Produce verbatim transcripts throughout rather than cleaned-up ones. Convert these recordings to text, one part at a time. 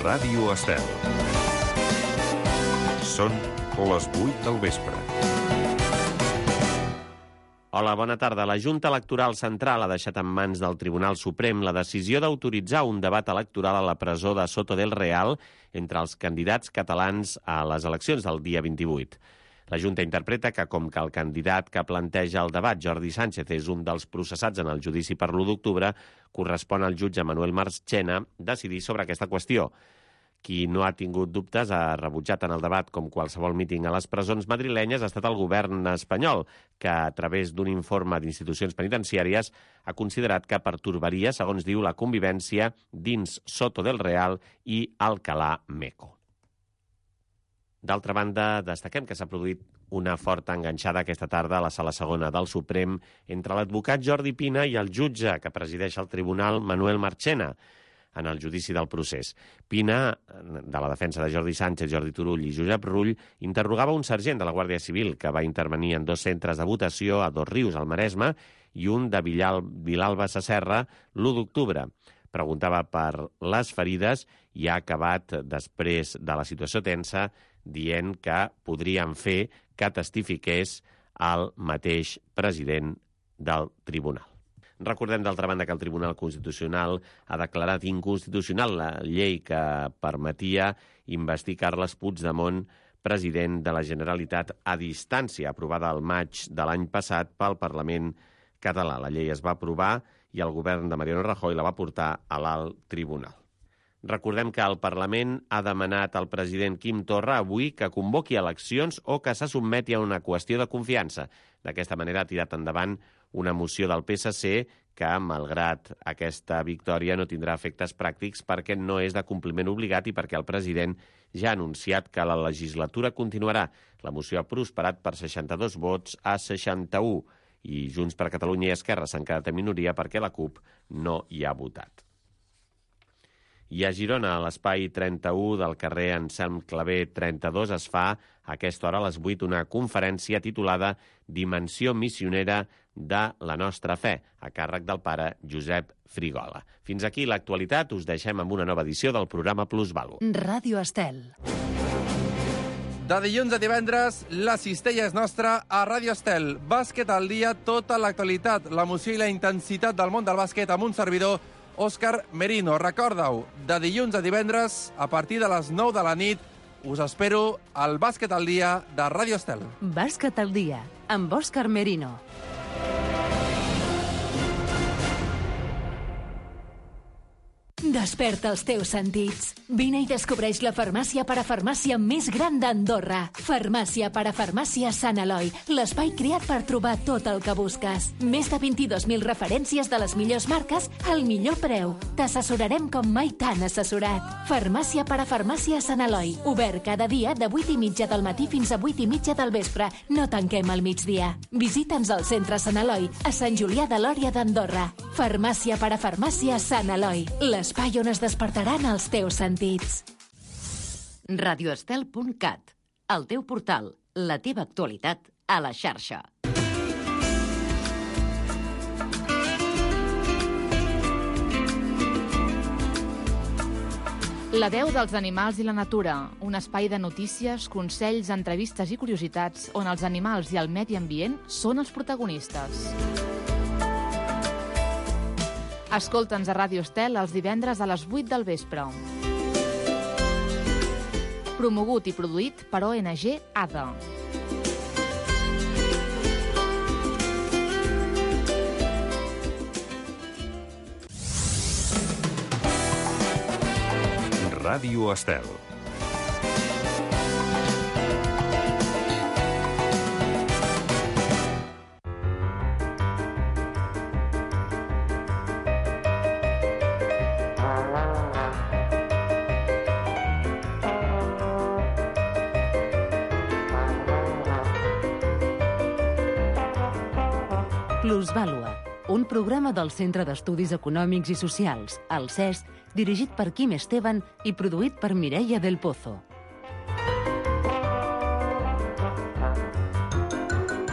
Ràdio Estel. Són les vuit del vespre. Hola, bona tarda. La Junta Electoral Central ha deixat en mans del Tribunal Suprem la decisió d'autoritzar un debat electoral a la presó de Soto del Real entre els candidats catalans a les eleccions del dia vint-i-vuit. La Junta interpreta que, com que el candidat que planteja el debat, Jordi Sánchez, és un dels processats en el judici per l'u d'octubre, correspon al jutge Manuel Marchena decidir sobre aquesta qüestió. Qui no ha tingut dubtes ha rebutjat en el debat com qualsevol míting a les presons madrilenyes ha estat el govern espanyol, que a través d'un informe d'institucions penitenciàries ha considerat que pertorbaria, segons diu, la convivència dins Soto del Real i Alcalá Meco. D'altra banda, destaquem que s'ha produït una forta enganxada aquesta tarda a la sala segona del Suprem entre l'advocat Jordi Pina i el jutge que presideix el tribunal, Manuel Marchena, en el judici del procés. Pina, de la defensa de Jordi Sánchez, Jordi Turull i Josep Rull, interrogava un sergent de la Guàrdia Civil que va intervenir en dos centres de votació a Dosrius, al Maresme, i un de Villal, Vilalba Sasserra l'u d'octubre. Preguntava per les ferides i ha acabat, després de la situació tensa, dient que podrien fer que testifiqués el mateix president del tribunal. Recordem, d'altra banda, que el Tribunal Constitucional ha declarat inconstitucional la llei que permetia investir Carles Puigdemont, president de la Generalitat, a distància, aprovada al maig de l'any passat pel Parlament català. La llei es va aprovar i el govern de Mariano Rajoy la va portar a l'alt tribunal. Recordem que el Parlament ha demanat al president Quim Torra avui que convoqui eleccions o que se sotmeti a una qüestió de confiança. D'aquesta manera ha tirat endavant una moció del P S C que, malgrat aquesta victòria, no tindrà efectes pràctics perquè no és de compliment obligat i perquè el president ja ha anunciat que la legislatura continuarà. La moció ha prosperat per seixanta-dos vots a seixanta-u i Junts per Catalunya i Esquerra s'han quedat en minoria perquè la CUP no hi ha votat. I a Girona, a l'espai trenta-u del carrer Anselm Clavé trenta-dos, es fa a aquesta hora a les vuit una conferència titulada Dimensió missionera de la nostra fe, a càrrec del pare Josep Frigola. Fins aquí l'actualitat. Us deixem amb una nova edició del programa Plusvàlua. Ràdio Estel. De dilluns a divendres, la cistella és nostra a Ràdio Estel. Bàsquet al dia, tota l'actualitat, l'emoció i la intensitat del món del bàsquet amb un servidor, Òscar Merino. Recorda-ho, de dilluns a divendres, a partir de les nou de la nit, us espero al Bàsquet al dia de Ràdio Estel. Bàsquet al dia, amb Òscar Merino. Desperta els teus sentits. Vine i descobreix la farmàcia parafarmàcia més gran d'Andorra. Farmàcia parafarmàcia Sant Eloi, l'espai creat per trobar tot el que busques. Més de vint-i-dos mil referències de les millors marques al millor preu. T'assessorarem com mai t'han assessorat. Farmàcia parafarmàcia Sant Eloi, obert cada dia de vuit i mitja del matí fins a vuit i mitja del vespre. No tanquem al migdia. Visita'ns al centre Sant Eloi, a Sant Julià de Lòria d'Andorra. Farmàcia parafarmàcia Sant Eloi, l'espai on es despertaran els teus sentits. radioestel punt cat, el teu portal, la teva actualitat a la xarxa. La veu dels animals i la natura, un espai de notícies, consells, entrevistes i curiositats on els animals i el medi ambient són els protagonistes. Escolta'ns a Ràdio Estel els divendres a les vuit del vespre. Promogut i produït per O N G A D A. Ràdio Estel. Plusvàlua, un programa del Centre d'Estudis Econòmics i Socials, el C E S, dirigit per Quim Esteban i produït per Mireia del Pozo.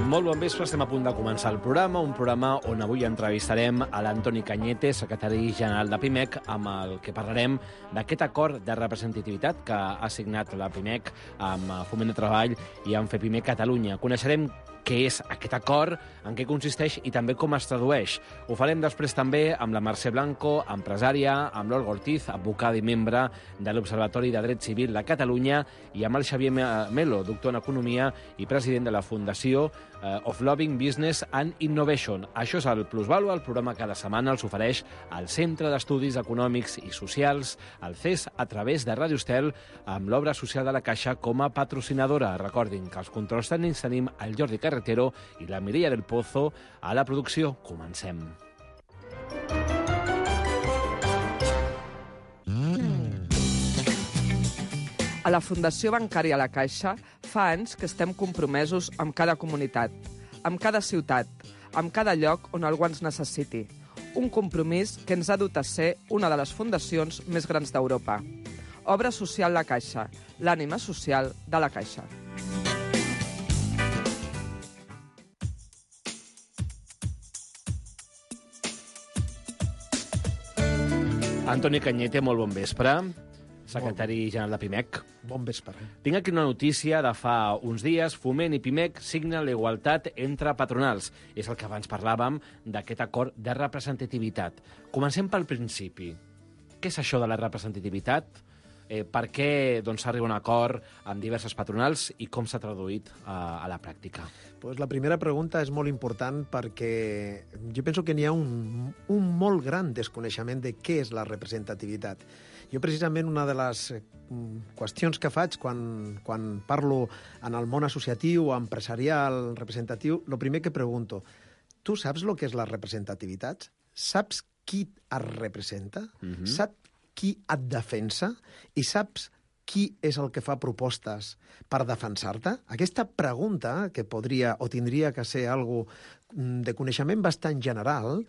Molt bon vespre, estem a punt de començar el programa, un programa on avui entrevistarem a l'Antoni Cañete, secretari general de Pimec, amb el que parlarem d'aquest acord de representativitat que ha signat la Pimec amb Foment de Treball i amb FEPIMEC Catalunya. Coneixerem què és aquest acord, en què consisteix i també com es tradueix. Ho farem després també amb la Mercè Blanco, empresària, amb l'Olga Ortiz, advocada i membre de l'Observatori de Dret Civil de Catalunya, i amb el Xavier Melo, doctor en Economia i president de la Fundació of Loving Business and Innovation. Això és el Plusvalua, el programa cada setmana els ofereix el Centre d'Estudis Econòmics i Socials, el C E S, a través de Ràdio Estel, amb l'obra social de la Caixa com a patrocinadora. Recordin que els controls tècnics tenim el Jordi Carretero i la Mireia del Pozo a la producció. Comencem. A la Fundació Bancària La Caixa fa anys que estem compromesos amb cada comunitat, amb cada ciutat, amb cada lloc on algú ens necessiti. Un compromís que ens ha dut a ser una de les fundacions més grans d'Europa. Obra social La Caixa, l'ànima social de la Caixa. Antoni Cañete, molt bon vespre. Secretari general de Pimec. Bon vespre. Tinc aquí una notícia de fa uns dies. Foment i Pimec signen la igualtat entre patronals. És el que abans parlàvem d'aquest acord de representativitat. Comencem pel principi. Què és això de la representativitat? Eh, per què doncs, s'arriba a un acord amb diverses patronals i com s'ha traduït a, a la pràctica? Pues la primera pregunta és molt important perquè jo penso que n'hi ha un, un molt gran desconeixement de què és la representativitat. Jo, precisament, una de les qüestions que faig quan, quan parlo en el món associatiu, empresarial, representatiu, el primer que pregunto, tu saps el que és la representativitat? Saps qui et representa? Mm-hmm. Saps qui et defensa? I saps qui és el que fa propostes per defensar-te? Aquesta pregunta, que podria o tindria que ser algo de coneixement bastant general,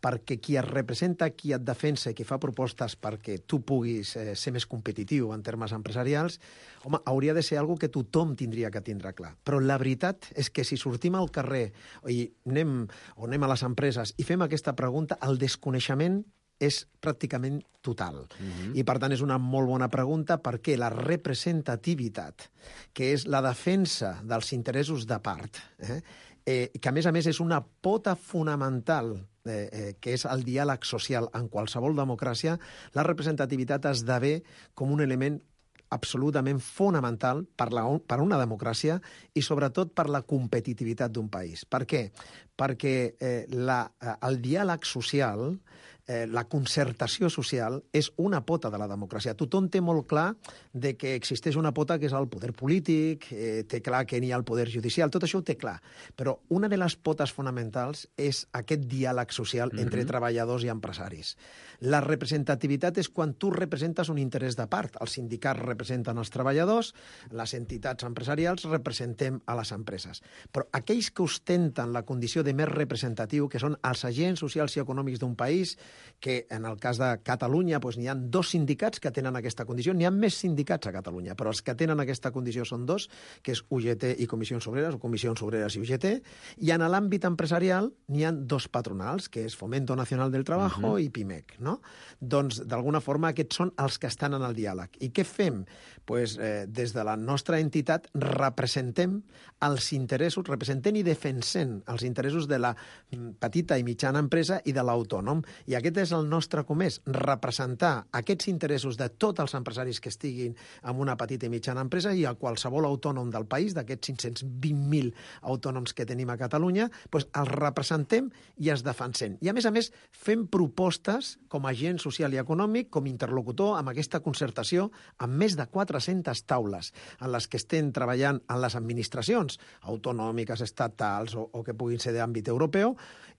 perquè qui et representa, qui et defensa i qui fa propostes perquè tu puguis eh, ser més competitiu en termes empresarials, home, hauria de ser algo que tothom tindria que tindre clar. Però la veritat és que si sortim al carrer i anem, o anem a les empreses i fem aquesta pregunta, el desconeixement és pràcticament total. Mm-hmm. I, per tant, és una molt bona pregunta perquè la representativitat, que és la defensa dels interessos de part, eh, eh, que, a més a més, és una pota fonamental Eh, eh, que és el diàleg social en qualsevol democràcia, la representativitat esdevé com un element absolutament fonamental per, la, per una democràcia i, sobretot, per la competitivitat d'un país. Per què? Perquè eh, la, el diàleg social, eh, la concertació social, és una pota de la democràcia. Tothom té molt clar de que existeix una pota que és el poder polític, eh, té clar que n'hi ha el poder judicial, tot això ho té clar. Però una de les potes fonamentals és aquest diàleg social mm-hmm. entre treballadors i empresaris. La representativitat és quan tu representes un interès de part. Els sindicats representen els treballadors, les entitats empresarials representem a les empreses. Però aquells que ostenten la condició de més representatiu, que són els agents socials i econòmics d'un país, que en el cas de Catalunya doncs, n'hi ha dos sindicats que tenen aquesta condició, n'hi ha més sindicats a Catalunya, però els que tenen aquesta condició són dos, que és U G T i Comissions Obreres, o Comissions Obreres i U G T, i en l'àmbit empresarial n'hi ha dos patronals, que és Fomento Nacional del Trabajo uh-huh. i Pimec, no? Doncs, d'alguna forma, aquests són els que estan en el diàleg. I què fem? Pues, eh, des de la nostra entitat representem els interessos, representem i defensem els interessos de la petita i mitjana empresa i de l'autònom. I aquest és el nostre comès, representar aquests interessos de tots els empresaris que estiguin en una petita i mitjana empresa i a qualsevol autònom del país, d'aquests cinc-cents vint mil autònoms que tenim a Catalunya, doncs els representem i els defensem. I, a més a més, fem propostes com a agent social i econòmic, com interlocutor amb aquesta concertació, amb més de quatre-centes taules en les que estem treballant en les administracions autonòmiques, estatals o, o que puguin ser d'àmbit europeu,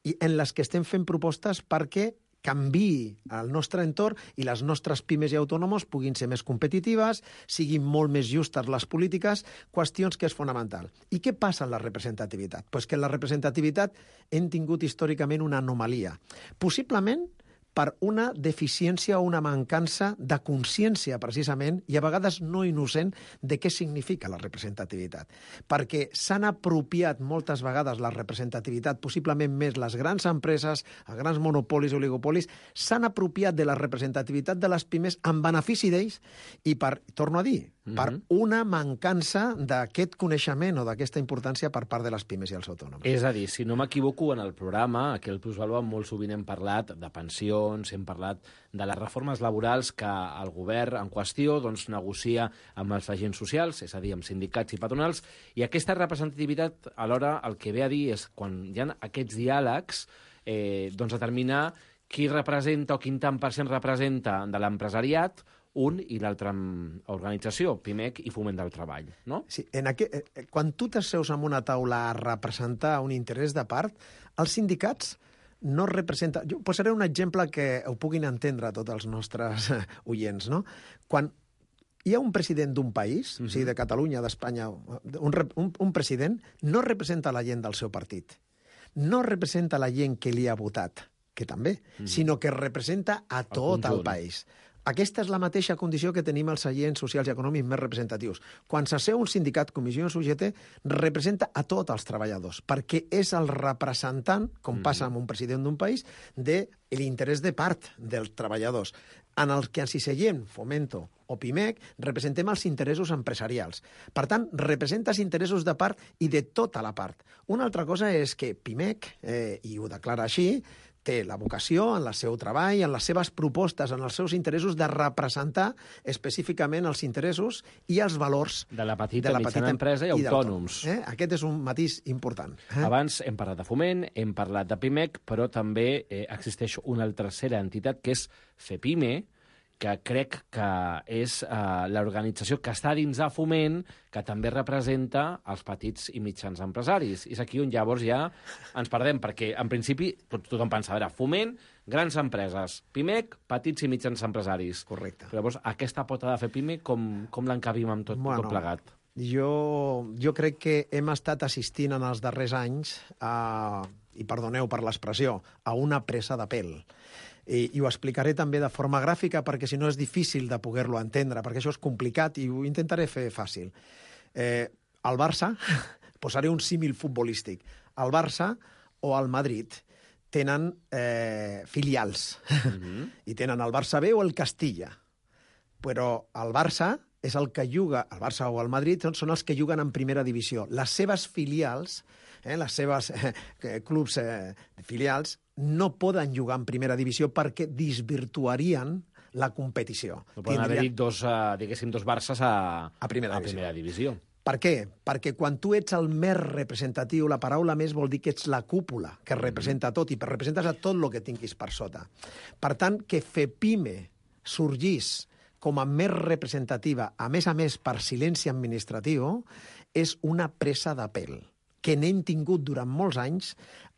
i en les que estem fent propostes perquè canviï el nostre entorn i les nostres pimes i autònoms puguin ser més competitives, siguin molt més justes les polítiques, qüestions que és fonamental. I què passa en la representativitat? Pues que en la representativitat hem tingut històricament una anomalia. Possiblement per una deficiència o una mancança de consciència, precisament, i a vegades no innocent, de què significa la representativitat. Perquè s'han apropiat moltes vegades la representativitat, possiblement més les grans empreses, els grans monopolis o oligopolis, s'han apropiat de la representativitat de les pimes en benefici d'ells i, per, torno a dir, mm-hmm. per una mancança d'aquest coneixement o d'aquesta importància per part de les pimes i els autònoms. És a dir, si no m'equivoco, en el programa, aquí al Plusvalua molt sovint hem parlat de pensions, hem parlat de les reformes laborals que el govern en qüestió doncs, negocia amb els agents socials, és a dir, amb sindicats i patronals, i aquesta representativitat, alhora, el que ve a dir és quan hi ha aquests diàlegs, eh, doncs determinar qui representa o quin tant per cent representa de l'empresariat, un i l'altra organització, PIMEC i Foment del Treball, no? Sí, en aqu... quan tu t'asseus en una taula a representar un interès de part, els sindicats no representen... Jo posaré un exemple que ho puguin entendre tots els nostres oients, no? Quan hi ha un president d'un país, mm-hmm. o sigui, de Catalunya, d'Espanya, un, un, un president no representa la gent del seu partit, no representa la gent que li ha votat, que també, mm-hmm. sinó que representa a tot el, el país. Aquesta és la mateixa condició que tenim els agents socials i econòmics més representatius. Quan s'asseu un sindicat, comissió o U G T, representa a tots els treballadors, perquè és el representant, com passa amb un president d'un país, de l'interès de part dels treballadors. En el que ens hi seguim, Fomento o PIMEC, representem els interessos empresarials. Per tant, representa els interessos de part i de tota la part. Una altra cosa és que PIMEC, eh, i ho declara així, té la vocació en el seu treball, en les seves propostes, en els seus interessos de representar específicament els interessos i els valors de la petita, de la petita mitjana empresa i, i autònoms. Eh? Aquest és un matís important. Eh? Abans hem parlat de Foment, hem parlat de PIMEC, però també eh, existeix una tercera entitat que és FEPIME, que crec que és eh, l'organització que està dins de Foment, que també representa els petits i mitjans empresaris. És aquí on llavors ja ens perdem, perquè en principi tot, tothom pensa, a veure, Foment, grans empreses, PIMEC, petits i mitjans empresaris. Correcte. Però llavors aquesta pota de fer PIME, com, com l'encabim amb tot, bueno, tot plegat? Jo, jo crec que hem estat assistint en els darrers anys a, i perdoneu per l'expressió, a una presa de pèl. I, i ho explicaré també de forma gràfica perquè si no és difícil de poder-lo entendre, perquè això és complicat i ho intentaré fer fàcil. Eh, el Barça, posaré un símil futbolístic, el Barça o el Madrid tenen eh, filials mm-hmm. i tenen el Barça B o el Castilla, però el Barça és el que juga, el Barça o el Madrid són els que juguen en primera divisió. Les seves filials, eh, les seves eh, clubs eh, filials, no poden jugar en primera divisió perquè desvirtuarien la competició. No poden Tindria... haver-hi dos, uh, diguéssim, dos Barces a, a, primera, a divisió. primera divisió. Per què? Perquè quan tu ets el més representatiu, la paraula més vol dir que ets la cúpula, que representa tot, i representes a tot el que tinguis per sota. Per tant, que FEPIME sorgís com a més representativa, a més a més per silenci administratiu, és una presa de pèl que n'hem tingut durant molts anys,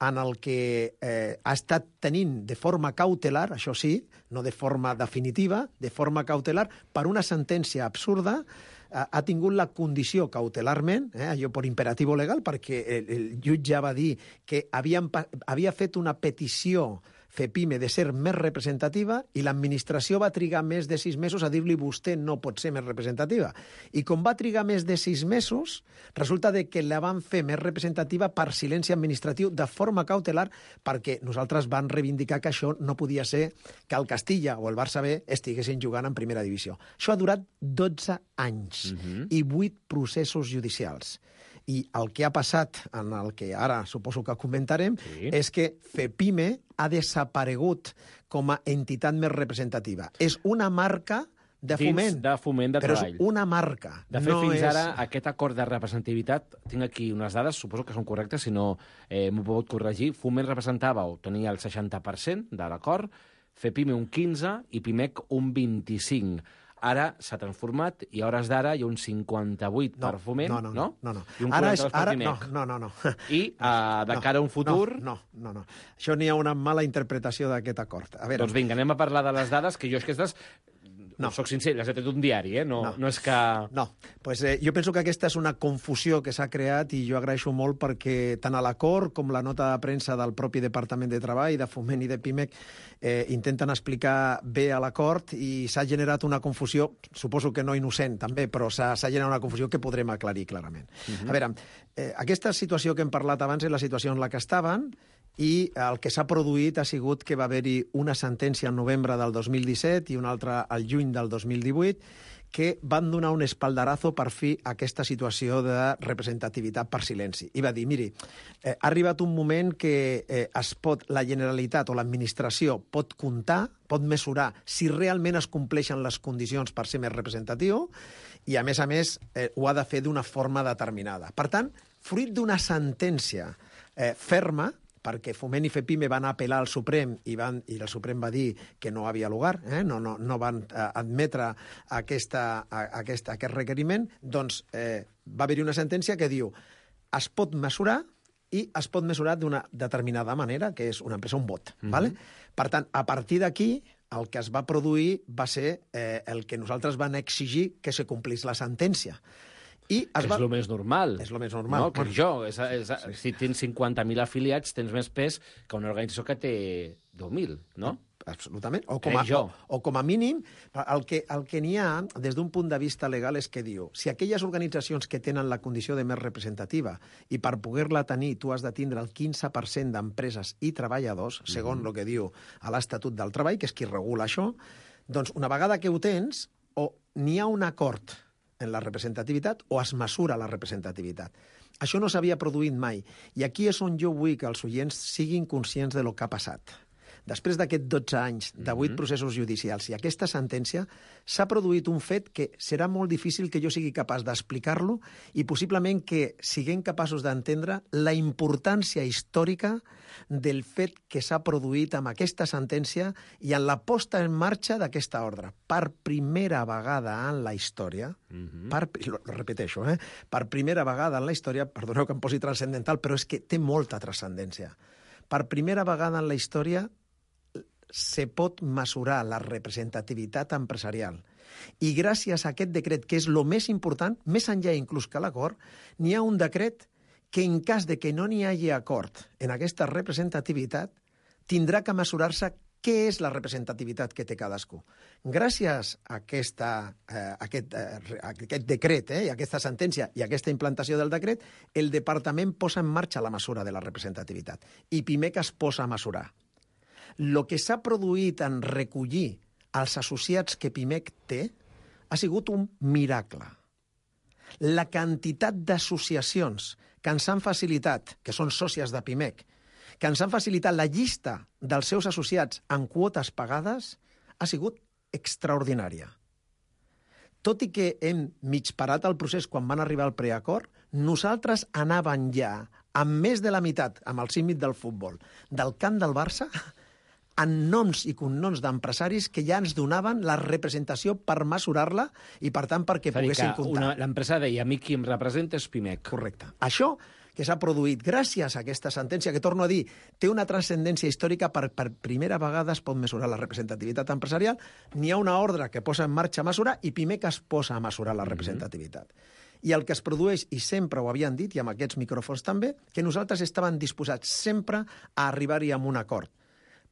en el que eh, ha estat tenint de forma cautelar, això sí, no de forma definitiva, de forma cautelar, per una sentència absurda, eh, ha tingut la condició cautelarment, eh, allò per imperatiu legal, perquè el, el jutge va dir que havien, havia fet una petició FEPIME de ser més representativa i l'administració va trigar més de sis mesos a dir-li vostè no pot ser més representativa. I com va trigar més de sis mesos, resulta de que la van fer més representativa per silenci administratiu de forma cautelar perquè nosaltres van reivindicar que això no podia ser que el Castilla o el Barça B estiguessin jugant en primera divisió. Això ha durat dotze anys uh-huh. i vuit processos judicials. I el que ha passat, en el que ara suposo que comentarem, sí. és que FEPIME ha desaparegut com a entitat més representativa. És una marca de foment. Dins de foment de però treball. És una marca. De fet, no fins és... ara, aquest acord de representativitat, tinc aquí unes dades, suposo que són correctes, si no eh, m'ho pot corregir. Foment representava o tenia el seixanta per cent de l'acord, FEPIME un quinze per cent i PIMEC un vint-i-cinc per cent. Ara s'ha transformat i a hores d'ara hi ha un cinquanta-vuit per cent no, Foment, no? No, no, no. no. I un ara quaranta-dos per cent ara, PIMEC. No, no, no. no. I uh, de no, cara a un futur... No, no, no. no. Això n'hi ha una mala interpretació d'aquest acord. A veure... Doncs vinga, anem a parlar de les dades, que jo aquestes No. Soc sincer, l'has tret d'un diari, eh? No, No. no és que... No, pues, eh, jo penso que aquesta és una confusió que s'ha creat i jo agraeixo molt perquè tant a l'acord com la nota de premsa del propi Departament de Treball, de Foment i de Pimec eh, intenten explicar bé a l'acord i s'ha generat una confusió, suposo que no innocent també, però s'ha generat una confusió que podrem aclarir clarament. Uh-huh. A veure, eh, aquesta situació que hem parlat abans és la situació en la que estaven i el que s'ha produït ha sigut que va haver-hi una sentència al novembre del dos mil disset i una altra al juny del dos mil divuit que van donar un espaldarazo per fi a aquesta situació de representativitat per silenci. I va dir, miri, eh, ha arribat un moment que eh, es pot, la Generalitat o l'administració pot comptar, pot mesurar si realment es compleixen les condicions per ser més representatiu i, a més a més, eh, ho ha de fer d'una forma determinada. Per tant, fruit d'una sentència eh, ferma, perquè Foment i FEPIME van apel·lar al Suprem i, van, i el Suprem va dir que no havia lugar, eh? no, no, no van eh, admetre aquesta, a, aquesta, aquest requeriment, doncs eh, va haver-hi una sentència que diu es pot mesurar i es pot mesurar d'una determinada manera, que és una empresa, un vot. Mm-hmm. Vale? Per tant, a partir d'aquí, el que es va produir va ser eh, el que nosaltres van exigir que se complís la sentència. I es és va... el més normal. És el més normal. No, que jo, és, és, si tens cinquanta mil afiliats, tens més pes que una organització que té deu mil, no? Absolutament. O com, a, o, o com a mínim, el que, el que n'hi ha, des d'un punt de vista legal, és que diu, si aquelles organitzacions que tenen la condició de més representativa i per poder-la tenir tu has de tindre el quinze per cent d'empreses i treballadors, segons mm-hmm. el que diu a l'Estatut del Treball, que és qui regula això, doncs una vegada que ho tens, o n'hi ha un acord en la representativitat o es mesura la representativitat. Això no s'havia produït mai. I aquí és on jo vull que els oients siguin conscients de lo que ha passat. Després d'aquests dotze anys, de vuit mm-hmm. processos judicials i aquesta sentència, s'ha produït un fet que serà molt difícil que jo sigui capaç d'explicar-lo i possiblement que siguem capaços d'entendre la importància històrica del fet que s'ha produït amb aquesta sentència i en la posta en marxa d'aquesta ordre. Per primera vegada en la història, mm-hmm. per, lo, lo repeteixo, eh? per primera vegada en la història, perdoneu que em posi transcendental, però és que té molta transcendència. Per primera vegada en la història se pot mesurar la representativitat empresarial. I gràcies a aquest decret, que és el més important, més enllà inclús que l'acord, n'hi ha un decret que en cas de que no n'hi hagi acord en aquesta representativitat, tindrà que mesurar-se què és la representativitat que té cadascú. Gràcies a aquesta, eh, aquest, eh, aquest decret, eh, i aquesta sentència i aquesta implantació del decret, el departament posa en marxa la mesura de la representativitat i Pimec es posa a mesurar. El que s'ha produït en recollir els associats que Pimec té ha sigut un miracle. La quantitat d'associacions que ens han facilitat, que són sòcies de Pimec, que ens han facilitat la llista dels seus associats en quotes pagades, ha sigut extraordinària. Tot i que hem mig parat el procés quan van arribar al preacord, nosaltres anàvem ja amb més de la meitat, amb el símil del futbol, del camp del Barça, en noms i cognoms d'empresaris que ja ens donaven la representació per mesurar-la i, per tant, perquè poguessin comptar. L'empresa deia, a mi qui em representa és Pimec. Correcte. Això que s'ha produït gràcies a aquesta sentència, que, torno a dir, té una transcendència històrica, per, per primera vegada es pot mesurar la representativitat empresarial, n'hi ha una ordre que posa en marxa a mesurar i Pimec es posa a mesurar la representativitat. Mm-hmm. I el que es produeix, i sempre ho havien dit, i amb aquests micròfons també, que nosaltres estàvem disposats sempre a arribar-hi amb un acord.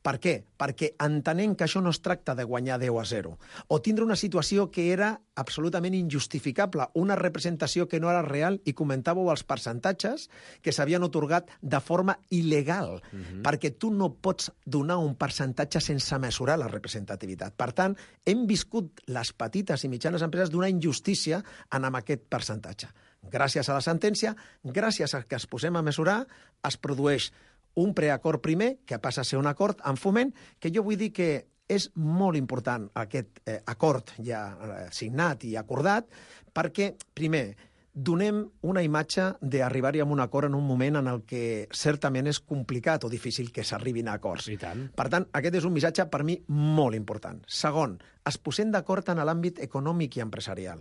Per què? Perquè entenem que això no es tracta de guanyar deu a zero o tindre una situació que era absolutament injustificable, una representació que no era real, i comentàveu els percentatges que s'havien atorgat de forma il·legal, uh-huh. perquè tu no pots donar un percentatge sense mesurar la representativitat. Per tant, hem viscut les petites i mitjanes empreses d'una injustícia en amb aquest percentatge. Gràcies a la sentència, gràcies a que es posem a mesurar, es produeix un preacord primer, que passa a ser un acord en Foment, que jo vull dir que és molt important aquest eh, acord ja eh, signat i acordat, perquè, primer, donem una imatge d'arribar-hi a un acord en un moment en el que certament és complicat o difícil que s'arribin a acords. I tant. Per tant, aquest és un missatge per mi molt important. Segon, es posem d'acord en l'àmbit econòmic i empresarial.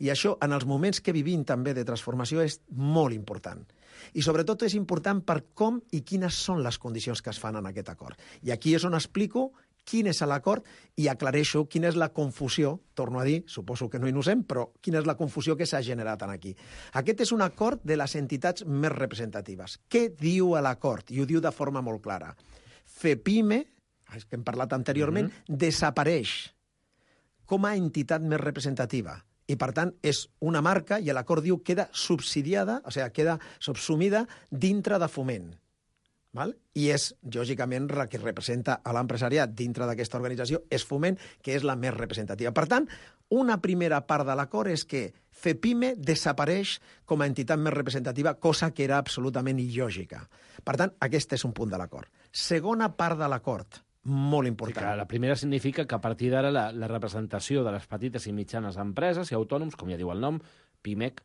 I això, en els moments que vivim també de transformació, és molt important. I sobretot és important per com i quines són les condicions que es fan en aquest acord. I aquí és on explico quin és l'acord i aclareixo quina és la confusió, torno a dir, suposo que no innocent, però quina és la confusió que s'ha generat aquí. Aquest és un acord de les entitats més representatives. Què diu l'acord? I ho diu de forma molt clara. FEPIME, que hem parlat anteriorment, mm-hmm. desapareix com a entitat més representativa. I, per tant, és una marca i l'acord diu queda subsidiada, o sigui, queda subsumida dintre de Foment. Val? I és, lògicament, la que representa a l'empresariat dintre d'aquesta organització és Foment, que és la més representativa. Per tant, una primera part de l'acord és que FEPIME desapareix com a entitat més representativa, cosa que era absolutament il·lògica. Per tant, aquest és un punt de l'acord. Segona part de l'acord, molt important. Sí, la primera significa que a partir d'ara la, la representació de les petites i mitjanes empreses i autònoms, com ja diu el nom, PIMEC,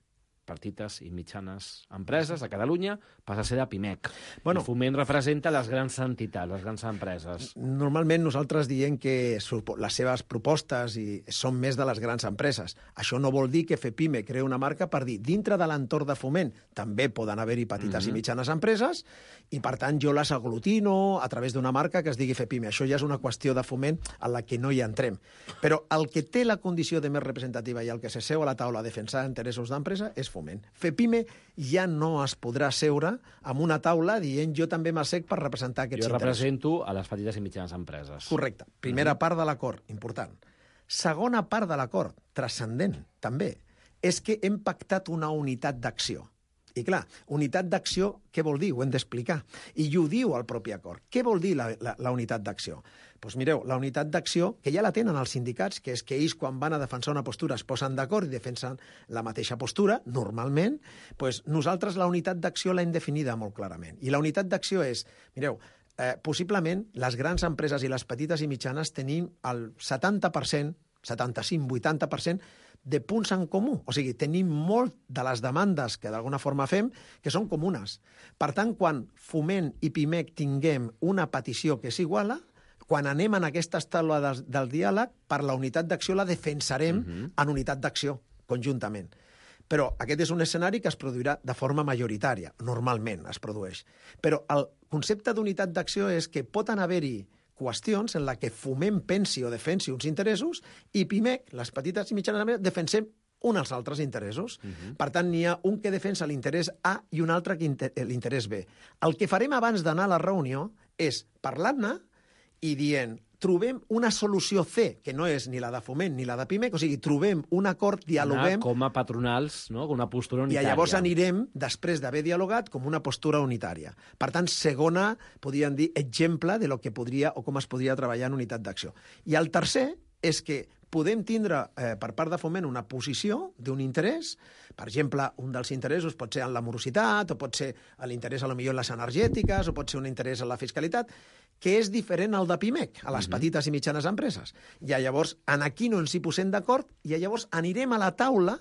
petites i mitjanes empreses a Catalunya, passa a ser de PIMEC. Bueno, el Foment representa les grans entitats, les grans empreses. Normalment nosaltres diem que les seves propostes i són més de les grans empreses. Això no vol dir que FEPIME crea una marca per dir dintre de l'entorn de Foment també poden haver-hi petites mm-hmm. i mitjanes empreses i, per tant, jo les aglutino a través d'una marca que es digui FEPIME. Això ja és una qüestió de Foment en la que no hi entrem. Però el que té la condició de més representativa i el que s'asseu a la taula a defensar interessos d'empresa és Foment. FEPIME ja no es podrà seure amb una taula dient jo també m'assec per representar aquests jo interessos. Jo represento a les petites i mitjanes empreses. Correcte. Primera mm-hmm. part de l'acord, important. Segona part de l'acord, transcendent, també, és que hem pactat una unitat d'acció. I clar, unitat d'acció, què vol dir? Ho hem d'explicar. I ho diu el propi acord. Què vol dir la, la, la unitat d'acció? Doncs pues mireu, la unitat d'acció, que ja la tenen els sindicats, que és que ells quan van a defensar una postura es posen d'acord i defensen la mateixa postura, normalment, doncs nosaltres la unitat d'acció l'hem definida molt clarament. I la unitat d'acció és, mireu, eh, possiblement les grans empreses i les petites i mitjanes tenim el setanta per cent, setanta-cinc a vuitanta per cent de punts en comú. O sigui, tenim molt de les demandes que d'alguna forma fem que són comunes. Per tant, quan Foment i PIMEC tinguem una petició que és iguala, quan anem en aquestes taules del, del diàleg, per la unitat d'acció la defensarem uh-huh. en unitat d'acció, conjuntament. Però aquest és un escenari que es produirà de forma majoritària, normalment es produeix. Però el concepte d'unitat d'acció és que pot haver-hi qüestions en la que Foment pensi o defensi uns interessos i PIMEC, les petites i mitjanes empreses, defensem uns als altres interessos. Uh-huh. Per tant, n'hi ha un que defensa l'interès A i un altre que l'interès B. El que farem abans d'anar a la reunió és parlar-ne i dient, trobem una solució C, que no és ni la de Foment ni la de PIMEC, o sigui, trobem un acord, dialoguem... Anar com a patronals, no? Com una postura unitària. I llavors anirem, després d'haver dialogat, com una postura unitària. Per tant, segona, podríem dir, exemple de lo que podria o com es podria treballar en unitat d'acció. I el tercer és que podem tindre eh, per part de Foment una posició d'un interès. Per exemple, un dels interessos pot ser en la morositat, o pot ser l'interès a lo millor en les energètiques, o pot ser un interès en la fiscalitat, que és diferent al de PIMEC, a les uh-huh. petites i mitjanes empreses. I llavors, en aquí no ens hi posem d'acord, i llavors anirem a la taula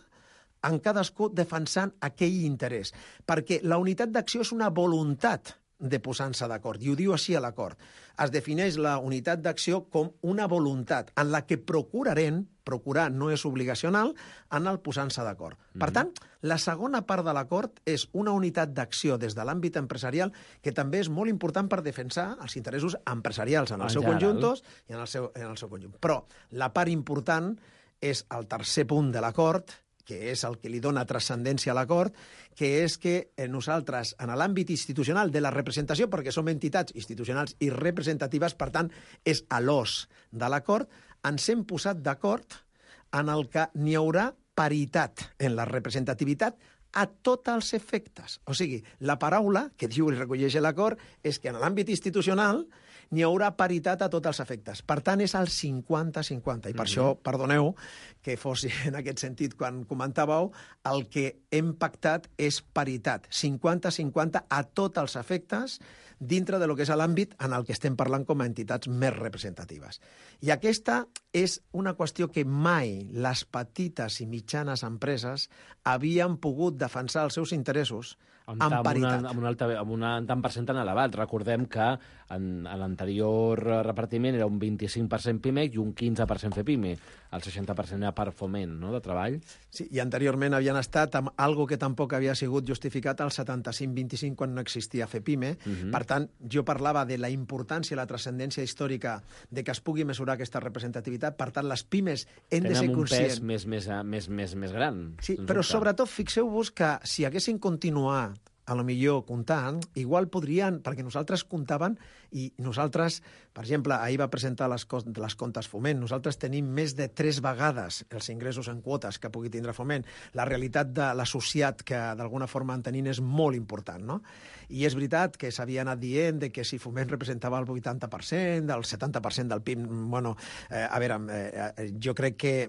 en cadascú defensant aquell interès. Perquè la unitat d'acció és una voluntat de posar-se d'acord, i ho diu així a l'acord. Es defineix la unitat d'acció com una voluntat en la que procurarem, procurar no és obligacional, en el posar-se d'acord. Mm-hmm. Per tant, la segona part de l'acord és una unitat d'acció des de l'àmbit empresarial que també és molt important per defensar els interessos empresarials en el en seu conjunt i en el seu, en el seu conjunt. Però la part important és el tercer punt de l'acord, que és el que li dona transcendència a l'acord, que és que nosaltres, en l'àmbit institucional de la representació, perquè som entitats institucionals i representatives, per tant, és a l'os de l'acord, ens hem posat d'acord en el que n'hi haurà paritat en la representativitat a tots els efectes. O sigui, la paraula que diu i recolleix l'acord és que en l'àmbit institucional n'hi haurà paritat a tots els efectes. Per tant, és el cinquanta cinquanta. I per mm-hmm. això, perdoneu que fos en aquest sentit quan comentàveu, el que hem pactat és paritat. cinquanta cinquanta a tots els efectes dintre de lo que és l'àmbit en el que estem parlant com a entitats més representatives. I aquesta és una qüestió que mai les petites i mitjanes empreses havien pogut defensar els seus interessos amb, en paritat. Una, amb, un alta, amb un tant per cent tan elevat. Recordem que en, en l'anterior repartiment era un vint-i-cinc per cent Pimec i un quinze per cent FEPIME. El seixanta per cent era per foment, no?, de treball. Sí, i anteriorment havien estat amb algo que tampoc havia sigut justificat al setanta-cinc vint-i-cinc quan no existia FEPIME. Uh-huh. Per tant, jo parlava de la importància, la transcendència històrica de que es pugui mesurar aquesta representativitat. Per tant, les pimes hem de ser conscients... Tenen un pes més, més, més, més, més gran. Sí, però dubte. Sobretot fixeu-vos que si haguessin continuat a lo millor comptant, igual podrien, perquè nosaltres comptaven i nosaltres, per exemple, ahir va presentar les, les comptes Foment, nosaltres tenim més de tres vegades els ingressos en quotes que pugui tindre Foment. La realitat de l'associat que d'alguna forma en tenim és molt important, no? I és veritat que s'havia anat dient de que si Foment representava el vuitanta per cent, el setanta per cent del P I B, bueno, eh, a veure, eh, jo crec que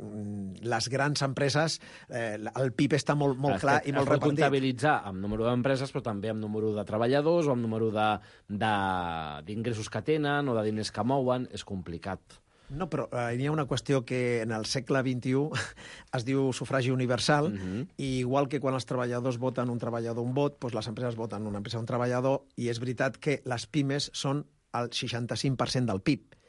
les grans empreses, eh, el P I B està molt, molt clar i molt repartit. Es pot comptabilitzar amb número d'empreses, però també amb número de treballadors o amb número d'ingressos que tenen o de diners que mouen. És complicat. No, però eh, hi ha una qüestió que en el segle vint-i-u es diu sufragi universal, uh-huh. i igual que quan els treballadors voten un treballador un vot, doncs les empreses voten una empresa un treballador, i és veritat que les pimes són el seixanta-cinc per cent del P I B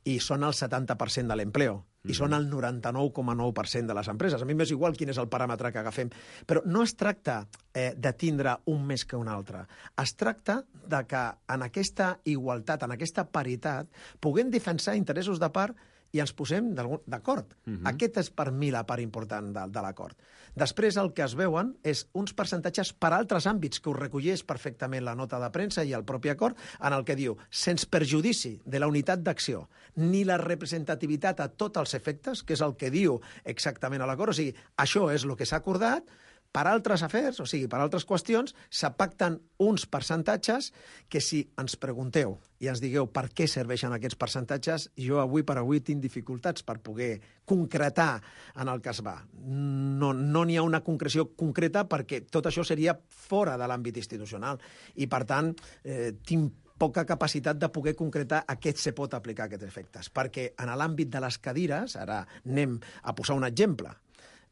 i són el setanta per cent de l'empleo, i són el noranta-nou coma nou per cent de les empreses. A mi m'és igual quin és el paràmetre que agafem. Però no es tracta eh, de tindre un més que un altre. Es tracta de que en aquesta igualtat, en aquesta paritat, puguem defensar interessos de part i ens posem d'acord. Uh-huh. Aquest és per mi la part important de, de l'acord. Després el que es veuen és uns percentatges per altres àmbits que ho recolleix perfectament la nota de premsa i el propi acord, en el que diu, sense perjudici de la unitat d'acció ni la representativitat a tots els efectes, que és el que diu exactament a l'acord, o sigui, això és el que s'ha acordat. Per altres afers, o sigui, per altres qüestions, se pacten uns percentatges que si ens pregunteu i ens digueu per què serveixen aquests percentatges, jo avui per avui tinc dificultats per poder concretar en el que es va. No no n'hi ha una concreció concreta perquè tot això seria fora de l'àmbit institucional i, per tant, eh, tinc poca capacitat de poder concretar a què se pot aplicar aquests efectes. Perquè en l'àmbit de les cadires, ara anem a posar un exemple,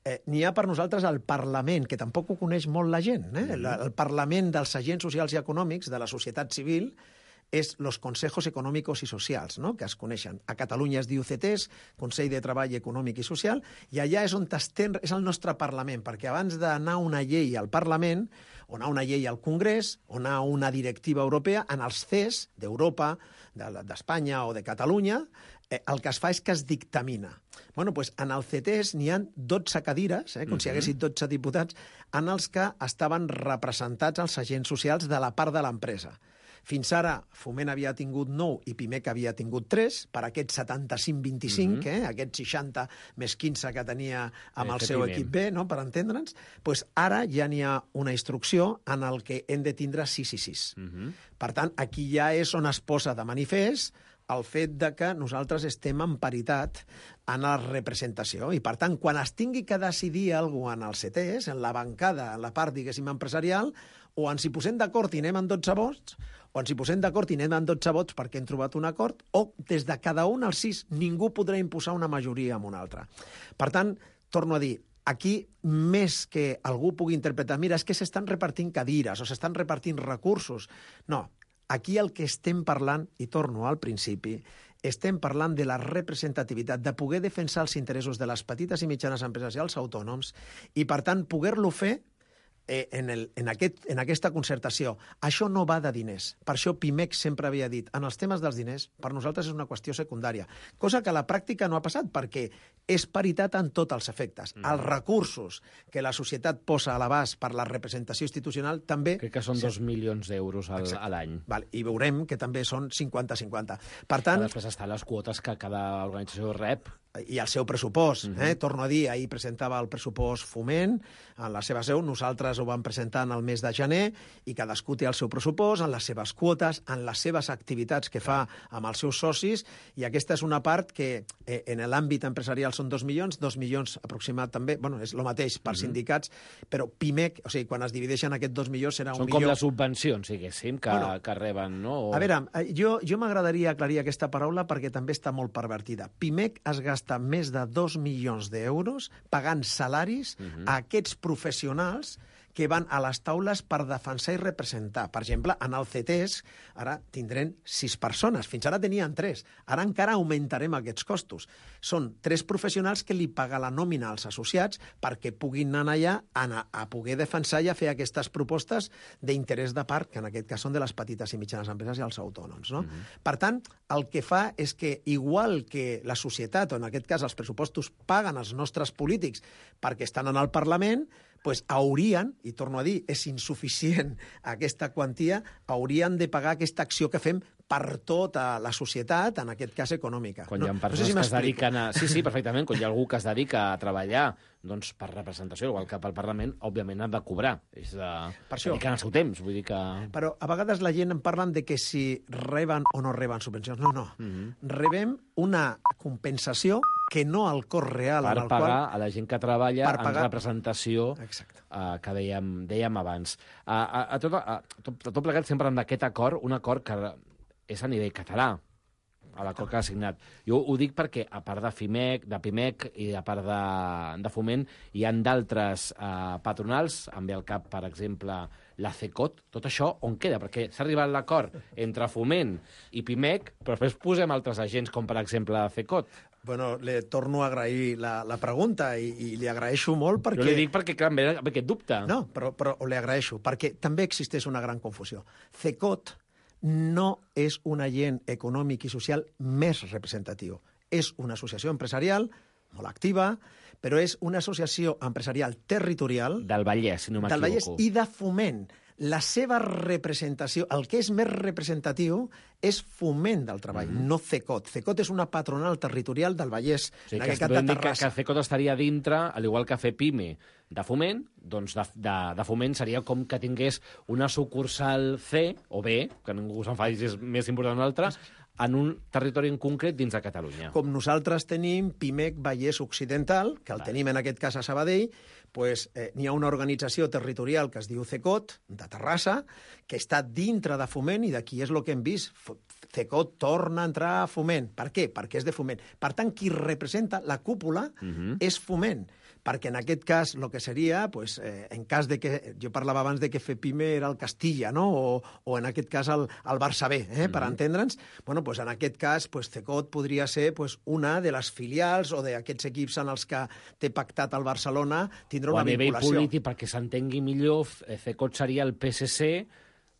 Eh, n'hi ha per nosaltres el Parlament, que tampoc ho coneix molt la gent. Eh? Mm-hmm. El, el Parlament dels agents socials i econòmics de la societat civil és los consejos econòmicos i socials, no?, que es coneixen. A Catalunya es diu C E T E S, Consell de Treball Econòmic i Social, i allà és on estem, és el nostre Parlament, perquè abans d'anar una llei al Parlament, o anar una llei al Congrés, o anar una directiva europea, en els C E S d'Europa, d'Espanya o de Catalunya, eh, el que es fa és que es dictamina. Bueno, doncs en el C E T E S n'hi ha dotze cadires, eh, com si hi haguessin dotze diputats, en els que estaven representats els agents socials de la part de l'empresa. Fins ara, Foment havia tingut nou i Pimec havia tingut tres, per aquest setanta-cinc vint-i-cinc, mm-hmm. eh, aquest seixanta més quinze que tenia amb el seu equip B, no?, per entendre'ns, doncs ara ja n'hi ha una instrucció en el que hem de tindre sis i sis. Mm-hmm. Per tant, aquí ja és on es posa de manifest el fet de que nosaltres estem en paritat en la representació. I, per tant, quan es tingui que decidir alguna cosa en el C E T E S, en la bancada, en la part, diguéssim, empresarial, o ens hi posem d'acord i anem en dotze vots, o ens hi posem d'acord i anem en dotze vots perquè hem trobat un acord, o des de cada un als sis ningú podrà imposar una majoria amb una altra. Per tant, torno a dir, aquí, més que algú pugui interpretar, mira, és que s'estan repartint cadires o s'estan repartint recursos. No, aquí el que estem parlant, i torno al principi, estem parlant de la representativitat, de poder defensar els interessos de les petites i mitjanes empreses i els autònoms i, per tant, poder-lo fer eh, en, el, en, aquest, en aquesta concertació. Això no va de diners. Per això Pimec sempre havia dit, en els temes dels diners, per nosaltres és una qüestió secundària, cosa que a la pràctica no ha passat, perquè és paritat en tots els efectes. Mm. Els recursos que la societat posa a l'abast per la representació institucional també... Crec que són dos milions d'euros al, a l'any. Val, i veurem que també són cinquanta cinquanta. Per tant... Però després estan les quotes que cada organització rep. I el seu pressupost. Mm-hmm. eh? Torno a dir, ahir presentava el pressupost Foment en la seva seu, nosaltres ho vam presentar en el mes de gener i cadascú té el seu pressupost, en les seves quotes, en les seves activitats que fa amb els seus socis, i aquesta és una part que eh, en l'àmbit empresarial són dos milions, dos milions aproximat també, bueno, és el mateix per mm-hmm. sindicats, però Pimec, o sigui, quan es divideixen aquests dos milions serà un Són milió... com les subvencions, diguéssim, que, bueno, que reben, no? O... A veure, jo, jo m'agradaria aclarir aquesta paraula perquè també està molt pervertida. Pimec es gasta més de dos milions d'euros pagant salaris uh-huh. a aquests professionals que van a les taules per defensar i representar. Per exemple, en el C T E S ara tindrem sis persones. Fins ara tenien tres. Ara encara augmentarem aquests costos. Són tres professionals que li paga la nòmina als associats perquè puguin anar allà a, a poder defensar i a fer aquestes propostes d'interès de part, que en aquest cas són de les petites i mitjanes empreses i els autònoms. No? Mm-hmm. Per tant, el que fa és que, igual que la societat, o en aquest cas els pressupostos, paguen els nostres polítics perquè estan en el Parlament, pues haurien, i torno a dir, és insuficient aquesta quantia, haurien de pagar aquesta acció que fem per tota la societat, en aquest cas econòmica. Quan hi ha persones no sé si que es dediquen a... Sí, sí, perfectament. Quan hi ha algú que es dedica a treballar doncs, per representació, igual que pel Parlament, òbviament ha de cobrar. És de... Per això. Dediquen el seu temps, vull dir que... Però a vegades la gent en parlen de que si reben o no reben subvencions. No, no. Mm-hmm. Rebem una compensació que no al cost real... Per en el pagar qual... a la gent que treballa pagar... en representació uh, que dèiem, dèiem abans. Uh, a, a, tot, a, tot, a tot plegat sempre amb aquest acord, un acord que és a nivell català, a l'acord que ha signat. Jo ho dic perquè, a part de FIMEC, de PIMEC i a part de, de Foment, hi ha d'altres eh, patronals, em ve al cap, per exemple, la CECOT. Tot això on queda? Perquè s'ha arribat a l'acord entre Foment i PIMEC, però després posem altres agents, com per exemple la CECOT. Bueno, le torno a agrair la, la pregunta i, i li agraeixo molt perquè... Jo li dic perquè, clar, em ve aquest dubte. No, però, però li agraeixo, perquè també existeix una gran confusió. CECOT no és un agent econòmic i social més representatiu. És una associació empresarial molt activa, però és una associació empresarial territorial... Del Vallès, si no m'equivoco. Del Vallès i de Foment. La seva representació, el que és més representatiu, és Foment del Treball, mm-hmm. no CECOT. CECOT és una patronal territorial del Vallès. O sigui, que es podem dir que, que CECOT estaria dintre, al igual que FEPIME de Foment, doncs de, de, de Foment seria com que tingués una sucursal C o B, que ningú s'enfadi si és més important una altra, en un territori en concret dins de Catalunya. Com nosaltres tenim PIMEC Vallès Occidental, que el vale. tenim en aquest cas a Sabadell, pues, eh, n'hi ha una organització territorial que es diu CECOT, de Terrassa, que està dintre de Foment, i d'aquí és el que hem vist. CECOT torna a entrar a Foment. Per què? Perquè és de Foment. Per tant, qui representa la cúpula uh-huh. és Foment. Perquè en aquest cas, el que seria, pues, eh, en cas de que... Jo parlava abans de que FEPIME era el Castilla, no? O, o en aquest cas el, el Barça B, eh? Mm-hmm. Per entendre'ns. Bueno, pues, en aquest cas, pues, CECOT podria ser pues, una de les filials o d'aquests equips en els que té pactat el Barcelona tindrà una vinculació. O a nivell polític, perquè s'entengui millor, CECOT seria el P S C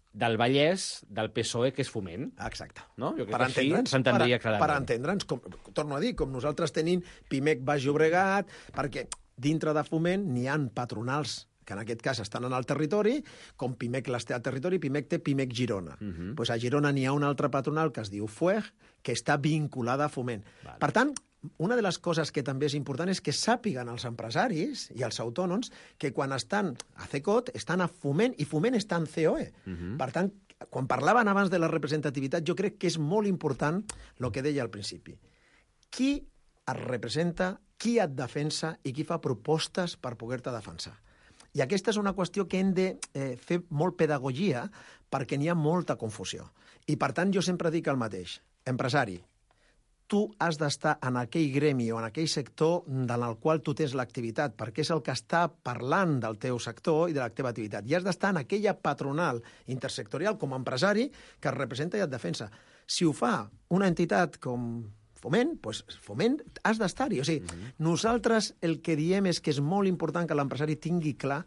del Vallès, del P S O E, que és Foment. Exacte. No? Jo crec per que així s'entendria clarament. Per entendre'ns, com, torno a dir, com nosaltres tenim PIMEC Baix Llobregat, perquè dintre de Foment n'hi ha patronals que en aquest cas estan en el territori, com PIMEC les té al territori, PIMEC té PIMEC Girona. Uh-huh. Pues a Girona n'hi ha una altra patronal que es diu F U E G, que està vinculada a Foment. Vale. Per tant, una de les coses que també és important és que sàpiguen els empresaris i els autònoms que quan estan a CECOT estan a Foment i Foment està en C O E. Uh-huh. Per tant, quan parlaven abans de la representativitat, jo crec que és molt important el que deia al principi. Qui et representa, qui et defensa i qui fa propostes per poder-te defensar. I aquesta és una qüestió que hem de eh, fer molt pedagogia perquè n'hi ha molta confusió. I, per tant, jo sempre dic el mateix. Empresari, tu has d'estar en aquell gremi o en aquell sector en el qual tu tens l'activitat, perquè és el que està parlant del teu sector i de la teva activitat. I has d'estar en aquella patronal intersectorial com a empresari que et representa i et defensa. Si ho fa una entitat com Foment, doncs Foment has d'estar-hi. O sigui, uh-huh. nosaltres el que diem és que és molt important que l'empresari tingui clar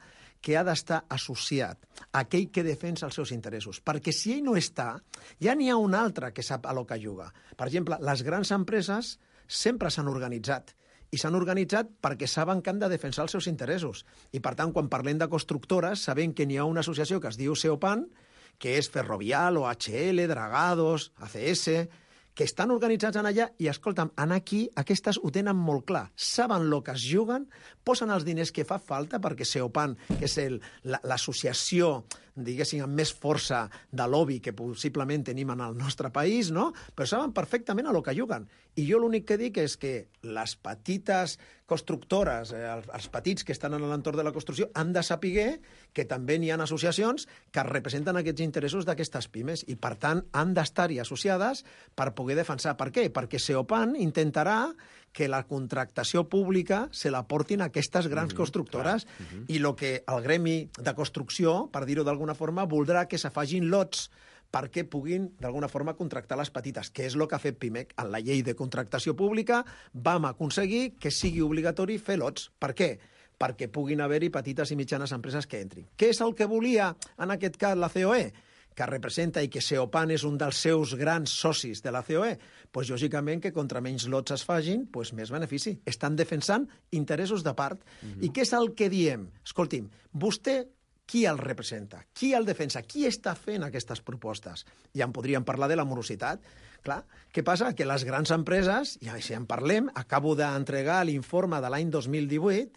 que ha d'estar associat a aquell que defensa els seus interessos. Perquè si ell no està, ja n'hi ha un altre que sap a lo que juga. Per exemple, les grans empreses sempre s'han organitzat. I s'han organitzat perquè saben que han de defensar els seus interessos. I, per tant, quan parlem de constructores, sabem que n'hi ha una associació que es diu Seopan, que és Ferrovial, O H L, Dragados, A C S... que estan organitzats en allà i, escolta'm, en aquí aquestes ho tenen molt clar. Saben el que es juguen, posen els diners que fa falta, perquè Seopan, que és el, la, l'associació, diguéssim, amb més força de lobby que possiblement tenim en el nostre país, no? Però saben perfectament a lo que juguen. I jo l'únic que dic és que les petites constructores, eh, els petits que estan en l'entorn de la construcció, han de saber que també n'hi ha associacions que representen aquests interessos d'aquestes pimes i, per tant, han d'estar-hi associades per poder defensar. Per què? Perquè Seopan intentarà que la contractació pública se la portin a aquestes grans mm-hmm, constructores mm-hmm. i el que el gremi de construcció, per dir-ho d'alguna forma, voldrà que se facin lots perquè puguin, d'alguna forma, contractar les petites, que és el que ha fet Pimec. En la llei de contractació pública vam aconseguir que sigui obligatori fer lots. Per què? Perquè puguin haver-hi petites i mitjanes empreses que entrin. Què és el que volia, en aquest cas, la C O E? Que representa i que Seopan és un dels seus grans socis de la C O E, doncs lògicament que contra menys lots es facin, doncs més benefici. Estan defensant interessos de part. Mm-hmm. I què és el que diem? Escolti'm, vostè qui el representa? Qui el defensa? Qui està fent aquestes propostes? Ja en podríem parlar de la morositat. Clar, què passa? Que les grans empreses, i si en parlem, acabo d'entregar l'informe de l'any dos mil divuit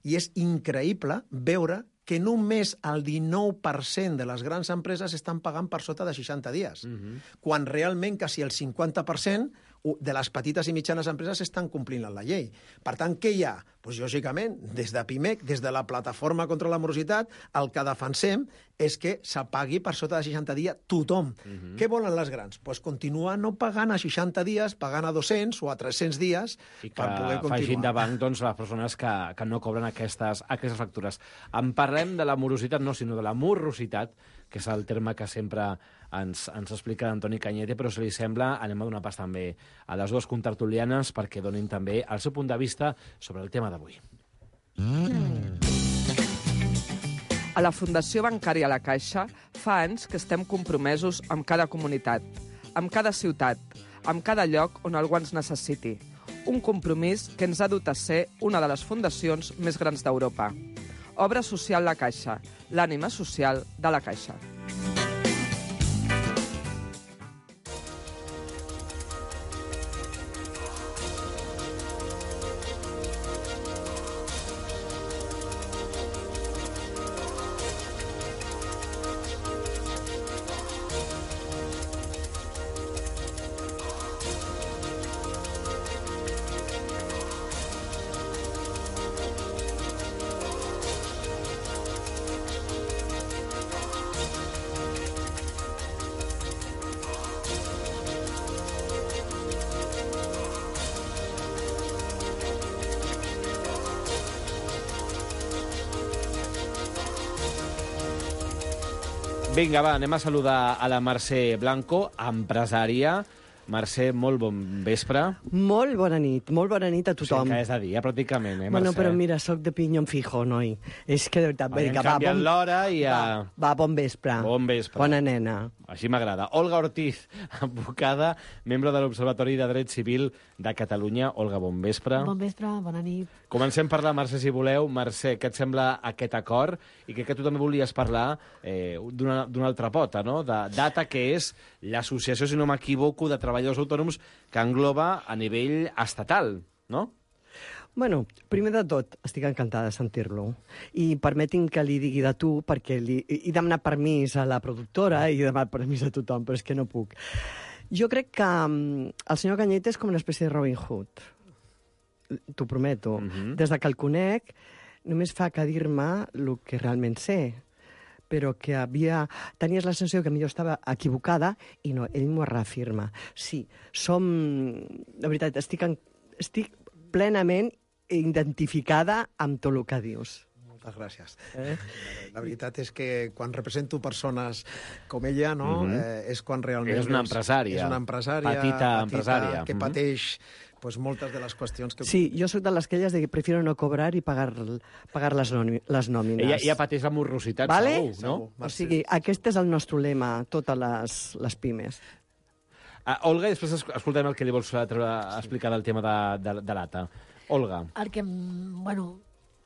i és increïble veure que només el dinou per cent de les grans empreses estan pagant per sota de seixanta dies, mm-hmm. quan realment quasi el cinquanta per cent de les petites i mitjanes empreses estan complint la llei. Per tant, què hi ha? Doncs, lògicament, des de Pimec, des de la Plataforma contra la Morositat, el que defensem és que se pagui per sota de seixanta dies tothom. Mm-hmm. Què volen les grans? Doncs continuar no pagant a seixanta dies, pagant a dos-cents o a tres-cents dies I per poder continuar. I que facin de banc doncs, les persones que, que no cobren aquestes, aquestes factures. En parlem de la morositat, no, sinó de la morositat, que és el terme que sempre ens, ens explica Antoni Cañete, però si li sembla, anem a donar pas també a les dues contertulianes perquè donin també el seu punt de vista sobre el tema d'avui. Mm. A la Fundació Bancària La Caixa fa anys que estem compromesos amb cada comunitat, amb cada ciutat, amb cada lloc on algú ens necessiti. Un compromís que ens ha dut a ser una de les fundacions més grans d'Europa. Obra social La Caixa, l'ànima social de La Caixa. Vinga, va, anem a saludar a la Mercè Blanco, empresària. Mercè, molt bon vespre. Molt bona nit, molt bona nit a tothom. O sigui que és de dia, pràcticament, eh, Mercè? Bueno, però mira, soc de pinyón fijo, noi. És que de veritat, Hem vinga, va, canviat bon... l'hora i a... Va, va, bon vespre. Bon vespre. Bona nena. Així m'agrada. Olga Ortiz, advocada, membre de l'Observatori de Dret Civil de Catalunya. Olga, bon vespre. Bon vespre, bona nit. Comencem per la Mercè, si voleu. Mercè, què et sembla aquest acord? I crec que tu també volies parlar eh, d'una altra pota, no? De DATA, que és l'associació, si no m'equivoco, de treballadors autònoms que engloba a nivell estatal, no? Bueno, primer de tot, estic encantada de sentir-lo. I permeti'm que li digui de tu, perquè li... he demanat permís a la productora i he demanat permís a tothom, però és que no puc. Jo crec que um, el senyor Cañete és com una espècie de Robin Hood. T'ho prometo. Uh-huh. Des de que el conec, només fa que dir-me el que realment sé, però que havia... tenies la sensació que millor estava equivocada i no, ell m'ho reafirma. Sí, som... De veritat, estic, en... estic plenament identificada amb tot el que dius. Moltes gràcies. Eh? La veritat és que quan represento persones com ella, no, mm-hmm. eh, és quan realment... És una empresària. És una empresària. Petita, petita empresària. Que pateix pues, moltes de les qüestions que... Sí, jo soc de les que elles de que prefiero no cobrar i pagar, pagar les, les nòmines. Ella, ella pateix la morositat, vale? segur, no? O sigui, aquest és el nostre lema, totes les, les pimes. Uh, Olga, i després escoltem el que li vols treure, explicar del tema de, de, de l'A T A. Olga. El que, bueno,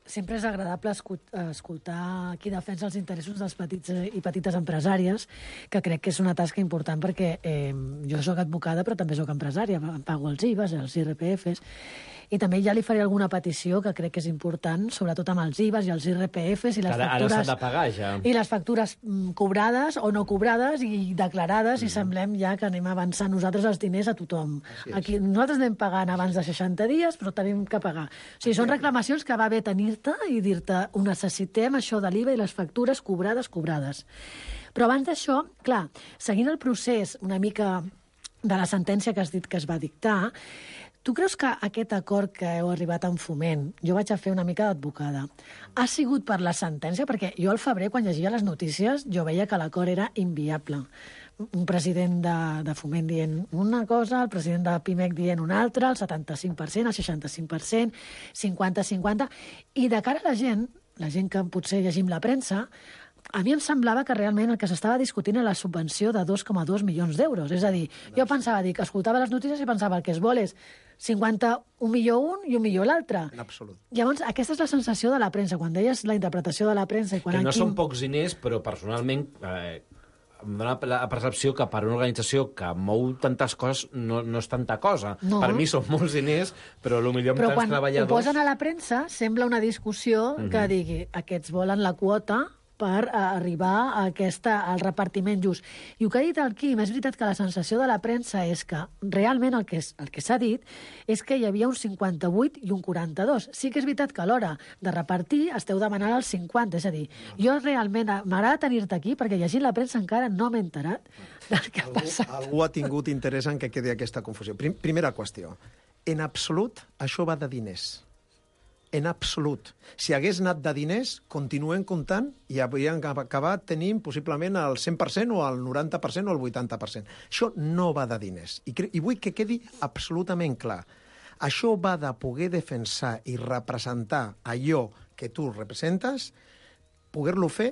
sempre és agradable escoltar qui defensa els interessos dels petits i petites empresàries, que crec que és una tasca important perquè eh, jo soc advocada però també soc empresària, pago els I V As, els I R P Fs, i també ja li faré alguna petició que crec que és important, sobretot amb els I V As i els I R P Fs i les ara, factures... Ara s'ha de pagar, ja. I les factures mm, cobrades o no cobrades i declarades, mm. i semblem ja que anem avançant nosaltres els diners a tothom. Aquí, nosaltres anem pagant abans de seixanta dies, però tenim que pagar. O sigui, són reclamacions que va bé tenir-te i dir-te ho necessitem, això de l'I V A i les factures cobrades, cobrades. Però abans d'això, clar, seguint el procés una mica de la sentència que has dit que es va dictar, tu creus que aquest acord que heu arribat en Foment, jo vaig a fer una mica d'advocada, ha sigut per la sentència? Perquè jo al febrer, quan llegia les notícies, jo veia que l'acord era inviable. Un president de, de Foment dient una cosa, el president de Pimec dient una altra, el setanta-cinc per cent, el seixanta-cinc per cent, cinquanta cinquanta... I de cara a la gent, la gent que potser llegim la premsa, a mi em semblava que realment el que s'estava discutint era la subvenció de dos coma dos milions d'euros. És a dir, jo pensava, dic, escoltava les notícies i pensava el que es vol és cinquanta, un milió un i un milió l'altre. En absolut. Llavors, aquesta és la sensació de la premsa. Quan deies la interpretació de la premsa... I quan que no Quim... són pocs diners, però personalment eh, em dóna la percepció que per una organització que mou tantes coses no, no és tanta cosa. No. Per mi són molts diners, però potser amb però tants treballadors... Però quan ho posen a la premsa sembla una discussió mm-hmm. que digui aquests volen la quota per arribar a aquesta, al repartiment just. I el que ha dit el Quim, és veritat que la sensació de la premsa és que realment el que, és, el que s'ha dit és que hi havia un cinquanta-vuit i un quaranta-dos. Sí que és veritat que a l'hora de repartir esteu demanant el cinquanta, és a dir, jo realment m'agrada tenir-te aquí perquè llegint la premsa encara no m'he enterat del que ha passat. Algú, algú ha tingut interès en que quedi aquesta confusió. Prim, primera qüestió. En absolut, això va de diners. En absolut. Si hagués anat de diners, continuen comptant i haurien acabat tenint possiblement el cent per cent o el noranta per cent o el vuitanta per cent. Això no va de diners. I, I vull que quedi absolutament clar. Això va de poder defensar i representar allò que tu representes, poder-lo fer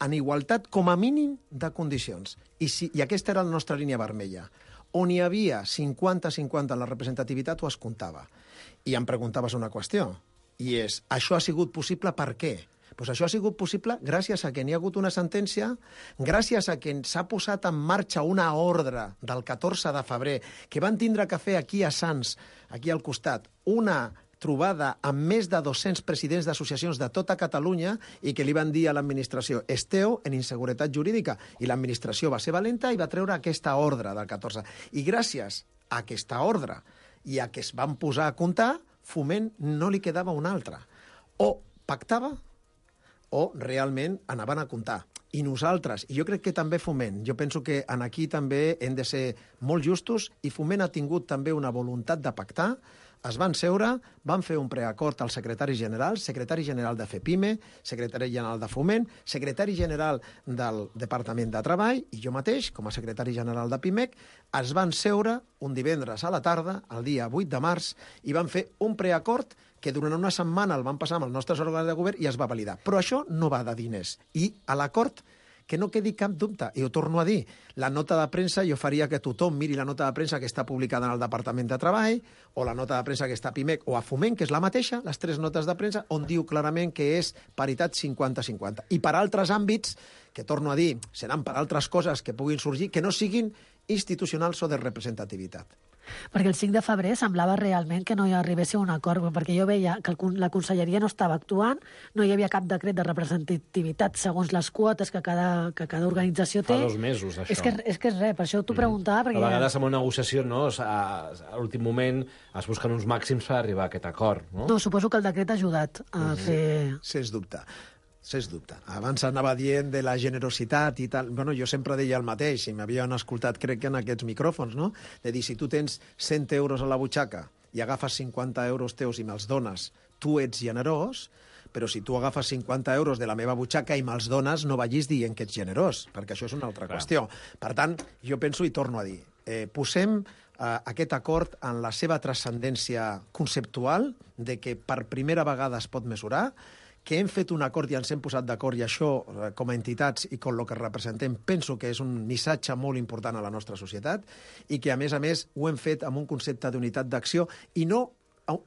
en igualtat com a mínim de condicions. I, si, i aquesta era la nostra línia vermella. On hi havia cinquanta cinquanta en la representativitat, ho es comptava. I em preguntaves una qüestió. I és, això ha sigut possible per què? Pues això ha sigut possible gràcies a que n'hi ha hagut una sentència, gràcies a que s'ha posat en marxa una ordre del catorze de febrer, que van tindre que fer aquí a Sants, aquí al costat, una trobada amb més de dos-cents presidents d'associacions de tota Catalunya i que li van dir a l'administració esteu en inseguretat jurídica. I l'administració va ser valenta i va treure aquesta ordre del catorze. I gràcies a aquesta ordre i a que es van posar a comptar, Foment no li quedava una altra. O pactava o realment anaven a comptar. I nosaltres, i jo crec que també Foment, jo penso que en aquí també hem de ser molt justos i Foment ha tingut també una voluntat de pactar, es van seure, van fer un preacord al secretari general, secretari general de FEPIME, secretari general de Foment, secretari general del Departament de Treball i jo mateix, com a secretari general de PIMEC, es van seure un divendres a la tarda, el dia vuit de març, i van fer un preacord que durant una setmana el van passar amb els nostres òrgans de govern i es va validar. Però això no va de diners. I a l'acord, que no quedi cap dubte, i ho torno a dir, la nota de premsa, jo faria que tothom miri la nota de premsa que està publicada en el Departament de Treball, o la nota de premsa que està a PIMEC o a Foment, que és la mateixa, les tres notes de premsa, on diu clarament que és paritat cinquanta cinquanta. I per altres àmbits, que torno a dir, seran per altres coses que puguin sorgir, que no siguin institucionals o de representativitat. Perquè el cinc de febrer semblava realment que no hi arribés a un acord, perquè jo veia que la conselleria no estava actuant, no hi havia cap decret de representativitat segons les quotes que cada, que cada organització té. Fa dos mesos, això. És que és, que és res, per això t'ho preguntava. Perquè a vegades en una negociació, no, a, a l'últim moment es busquen uns màxims per arribar a aquest acord. No, no suposo que el decret ha ajudat a mm. fer... Sens dubte. Sens dubte. Abans anava dient de la generositat i tal. Bueno, jo sempre deia el mateix, i m'havien escoltat, crec que en aquests micròfons, no? De dir, si tu tens cent euros a la butxaca i agafes cinquanta euros teus i me'ls dones, tu ets generós, però si tu agafes cinquanta euros de la meva butxaca i me'ls dones, no vagis dient que ets generós, perquè això és una altra Clar. qüestió. Per tant, jo penso i torno a dir, eh, posem eh, aquest acord en la seva transcendència conceptual de que per primera vegada es pot mesurar, que hem fet un acord i ens hem posat d'acord i això, com a entitats i com el que representem, penso que és un missatge molt important a la nostra societat i que, a més a més, ho hem fet amb un concepte d'unitat d'acció i no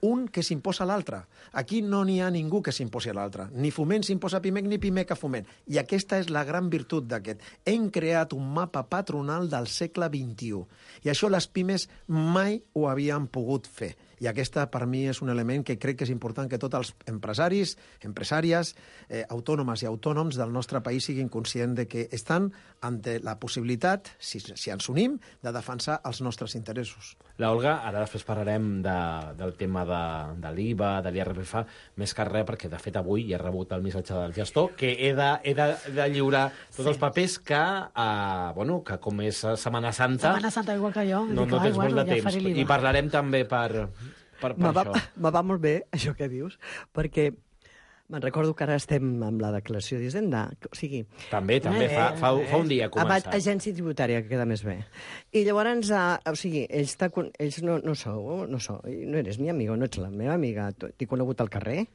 un que s'imposa a l'altre. Aquí no n'hi ha ningú que s'imposi a l'altre. Ni Foment s'imposa a Pimec, ni Pimec a Foment. I aquesta és la gran virtut d'aquest. Hem creat un mapa patronal del segle vint-i-u. I això les pimes mai ho havien pogut fer. I aquesta, per mi, és un element que crec que és important que tots els empresaris, empresàries, eh, autònomes i autònoms del nostre país siguin conscients de que estan ante la possibilitat, si, si ens unim, de defensar els nostres interessos. La Olga, ara després parlarem de, del tema de, de l'I V A, de l'I R P F, més que res, perquè de fet avui ja he rebut el missatge del gestor que he de, he de, de lliurar tots sí. els papers que, eh, bueno, que com és Setmana Santa... Setmana Santa, igual que jo. No, no tens molt de temps. I parlarem també per... Per, per me, va, això. me va molt bé, això que dius, perquè me'n recordo que ara estem amb la declaració d'Hisenda. O sigui... També, també, eh, fa, fa, fa un dia ha començat. Agència tributària, que queda més bé. I llavors, uh, o sigui, ells, ells no, no sou, no sou, no eres mi amigo, no ets la meva amiga, t'he conegut al carrer.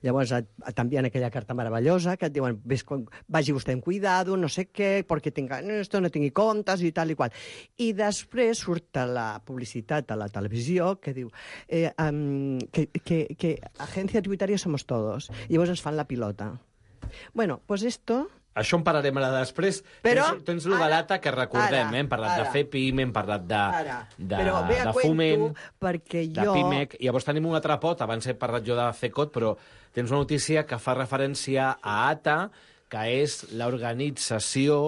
Llavors t'envien aquella carta meravellosa que et diuen, ves, vagi vostè amb cuidado, no sé què, perquè tenga, esto no tingui comptes i tal i qual. I després surt la publicitat a la televisió que diu eh, um, que, que, que agència tributària somos todos. I llavors ens fan la pilota. Bueno, pues esto... Això en parlarem ara després. Però, tens tens lo de l'A T A que recordem, ara, eh? Hem parlat ara, de FEPIM, hem parlat de, de, però ve a de Foment, perquè de jo... Pimec. I llavors tenim un altre pot, abans he parlat jo de FECOT, però tens una notícia que fa referència a A T A, que és l'organització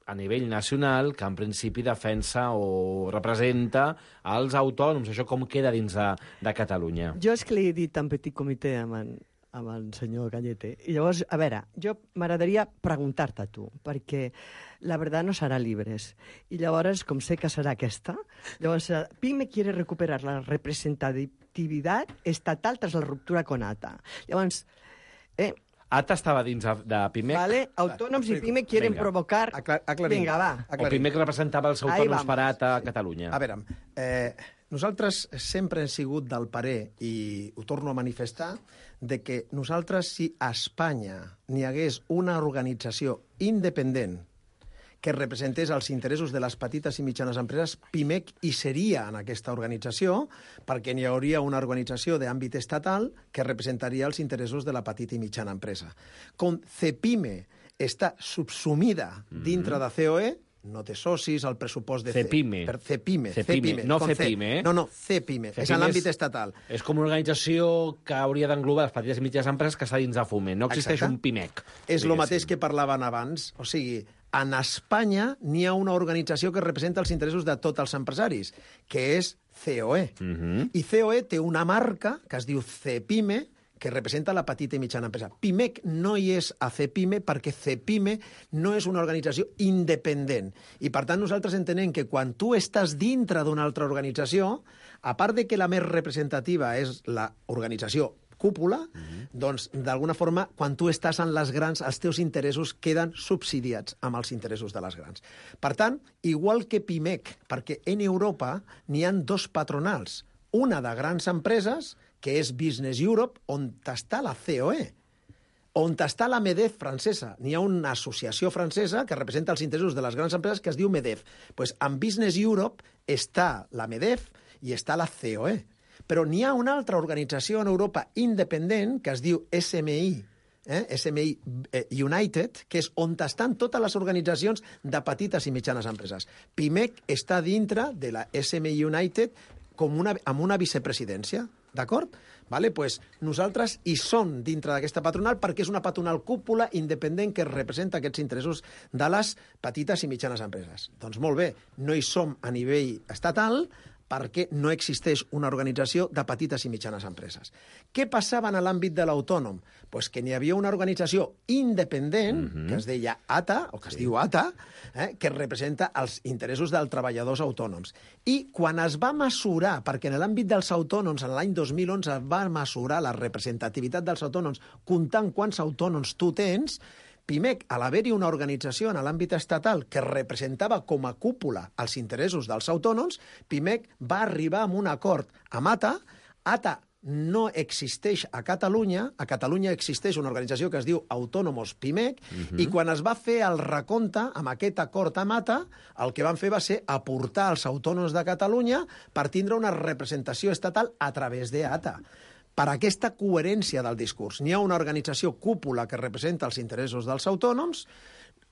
a nivell nacional que en principi defensa o representa els autònoms. Això com queda dins de, de Catalunya? Jo és que li he dit en petit comitè amb en, amb el senyor Cañete. I llavors, a veure, jo m'agradaria preguntar-te a tu, perquè la verdad no serà libres. I llavors, com sé que serà aquesta, llavors, PIME quiere recuperar la representatividad estatal tras la ruptura con A T A. Llavors, eh, A T A estava dins de, de Pimec. Vale, autònoms i PIME quieren Venga. provocar... Aclar aclarim. Vinga, va. Aclarim. O Pimec representava els autònoms per A T A a Catalunya. A veure, eh, nosaltres sempre hem sigut del parer, i ho torno a manifestar, de que nosaltres, si a Espanya n'hi hagués una organització independent que representés els interessos de les petites i mitjanes empreses, Pimec hi seria en aquesta organització, perquè n'hi hauria una organització d'àmbit estatal que representaria els interessos de la petita i mitjana empresa. Com CEPIME està subsumida dintre de C O E, no té socis, el pressupost de... CEPIME. Per CEPIME. CEPIME, no FEPIME, eh? No, no, CEPIME, és en l'àmbit estatal. És com una organització que hauria d'englobar les petites i mitjanes empreses que està dins de Foment. No existeix Exacte. un Pimec. És el mateix que parlaven abans. O sigui, en Espanya n'hi ha una organització que representa els interessos de tots els empresaris, que és C O E. Uh -huh. I C O E té una marca que es diu CEPIME, que representa la petita i mitjana empresa. Pimec no hi és a CEPIME perquè CEPIME no és una organització independent. I, per tant, nosaltres entenem que quan tu estàs dintre d'una altra organització, a part de que la més representativa és l'organització cúpula, uh -huh. doncs, d'alguna forma, quan tu estàs en les grans, els teus interessos queden subsidiats amb els interessos de les grans. Per tant, igual que Pimec, perquè en Europa n'hi ha dos patronals, una de grans empreses, que és Business Europe, on està la C O E, on està la MEDEF francesa. N'hi ha una associació francesa que representa els interessos de les grans empreses que es diu MEDEF. Pues en Business Europe està la MEDEF i està la C O E. Però n'hi ha una altra organització en Europa independent que es diu S M I, eh? S M I United, que és on estan totes les organitzacions de petites i mitjanes empreses. Pimec està dintre de la S M I United com una, amb una vicepresidència. D'acord? Vale, pues nosaltres hi som dintre d'aquesta patronal perquè és una patronal cúpula independent que representa aquests interessos de les petites i mitjanes empreses. Doncs molt bé, no hi som a nivell estatal perquè no existeix una organització de petites i mitjanes empreses. Què passava en l'àmbit de l'autònom? Pues que n'hi havia una organització independent, uh-huh. que es deia A T A, o que es sí. diu A T A, eh, que representa els interessos dels treballadors autònoms. I quan es va mesurar, perquè en l'àmbit dels autònoms, en l'any dos mil onze, es va mesurar la representativitat dels autònoms, comptant quants autònoms tu tens, Pimec, a l'haver-hi una organització en l'àmbit estatal que representava com a cúpula els interessos dels autònoms, Pimec va arribar a un acord amb A T A. A T A no existeix a Catalunya. A Catalunya existeix una organització que es diu Autònomos Pimec, uh-huh. i quan es va fer el recompte amb aquest acord amb A T A, el que van fer va ser aportar els autònoms de Catalunya per tindre una representació estatal a través de A T A. Per aquesta coherència del discurs. N'hi ha una organització cúpula que representa els interessos dels autònoms,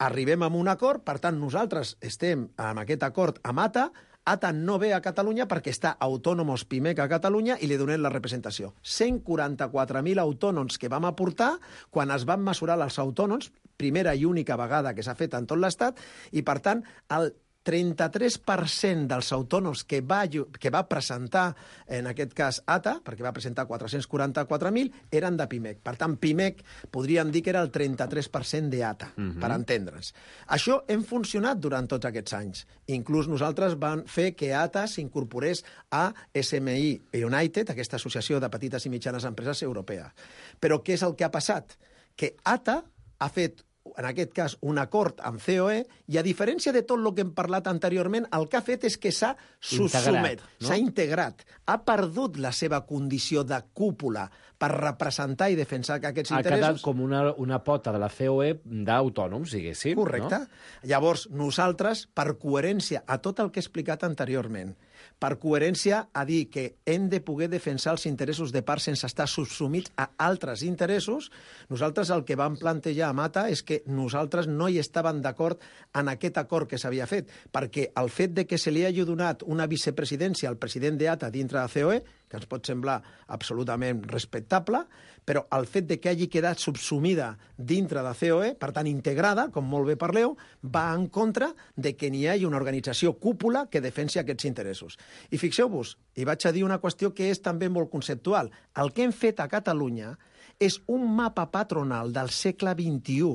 arribem a un acord, per tant, nosaltres estem amb aquest acord amb A T A, A T A no ve a Catalunya perquè està Autònomos Pimec a Catalunya i li donem la representació. cent quaranta-quatre mil autònoms que vam aportar quan es van mesurar els autònoms, primera i única vegada que s'ha fet en tot l'Estat, i per tant el trenta-tres per cent dels autònoms que va, que va presentar, en aquest cas A T A, perquè va presentar quatre-cents quaranta-quatre mil, eren de Pimec. Per tant, Pimec podríem dir que era el trenta-tres per cent de A T A, uh-huh. per entendre'ns. Això hem funcionat durant tots aquests anys. Inclús nosaltres vam fer que A T A s'incorporés a S M I United, aquesta associació de petites i mitjanes empreses europea. Però què és el que ha passat? Que A T A ha fet en aquest cas, un acord amb C O E, i a diferència de tot el que hem parlat anteriorment, el que ha fet és que s'ha subsumet, no? S'ha integrat, ha perdut la seva condició de cúpula per representar i defensar aquests ha interessos. Ha quedat com una, una pota de la C O E d'autònoms, diguéssim. Correcte. No? Llavors, nosaltres, per coherència a tot el que he explicat anteriorment, per coherència a dir que hem de poder defensar els interessos de part sense estar subsumits a altres interessos, nosaltres el que vam plantejar a Mata és que nosaltres no hi estàvem d'acord en aquest acord que s'havia fet, perquè el fet de que se li hagi donat una vicepresidència al president de A T A dintre de C O E, que ens pot semblar absolutament respectable, però el fet de que hagi quedat subsumida dintre de C O E, per tant integrada, com molt bé parleu, va en contra de que n'hi hagi una organització cúpula que defensi aquests interessos. I fixeu-vos, i vaig a dir una qüestió que és també molt conceptual. El que hem fet a Catalunya és un mapa patronal del segle vint-i-u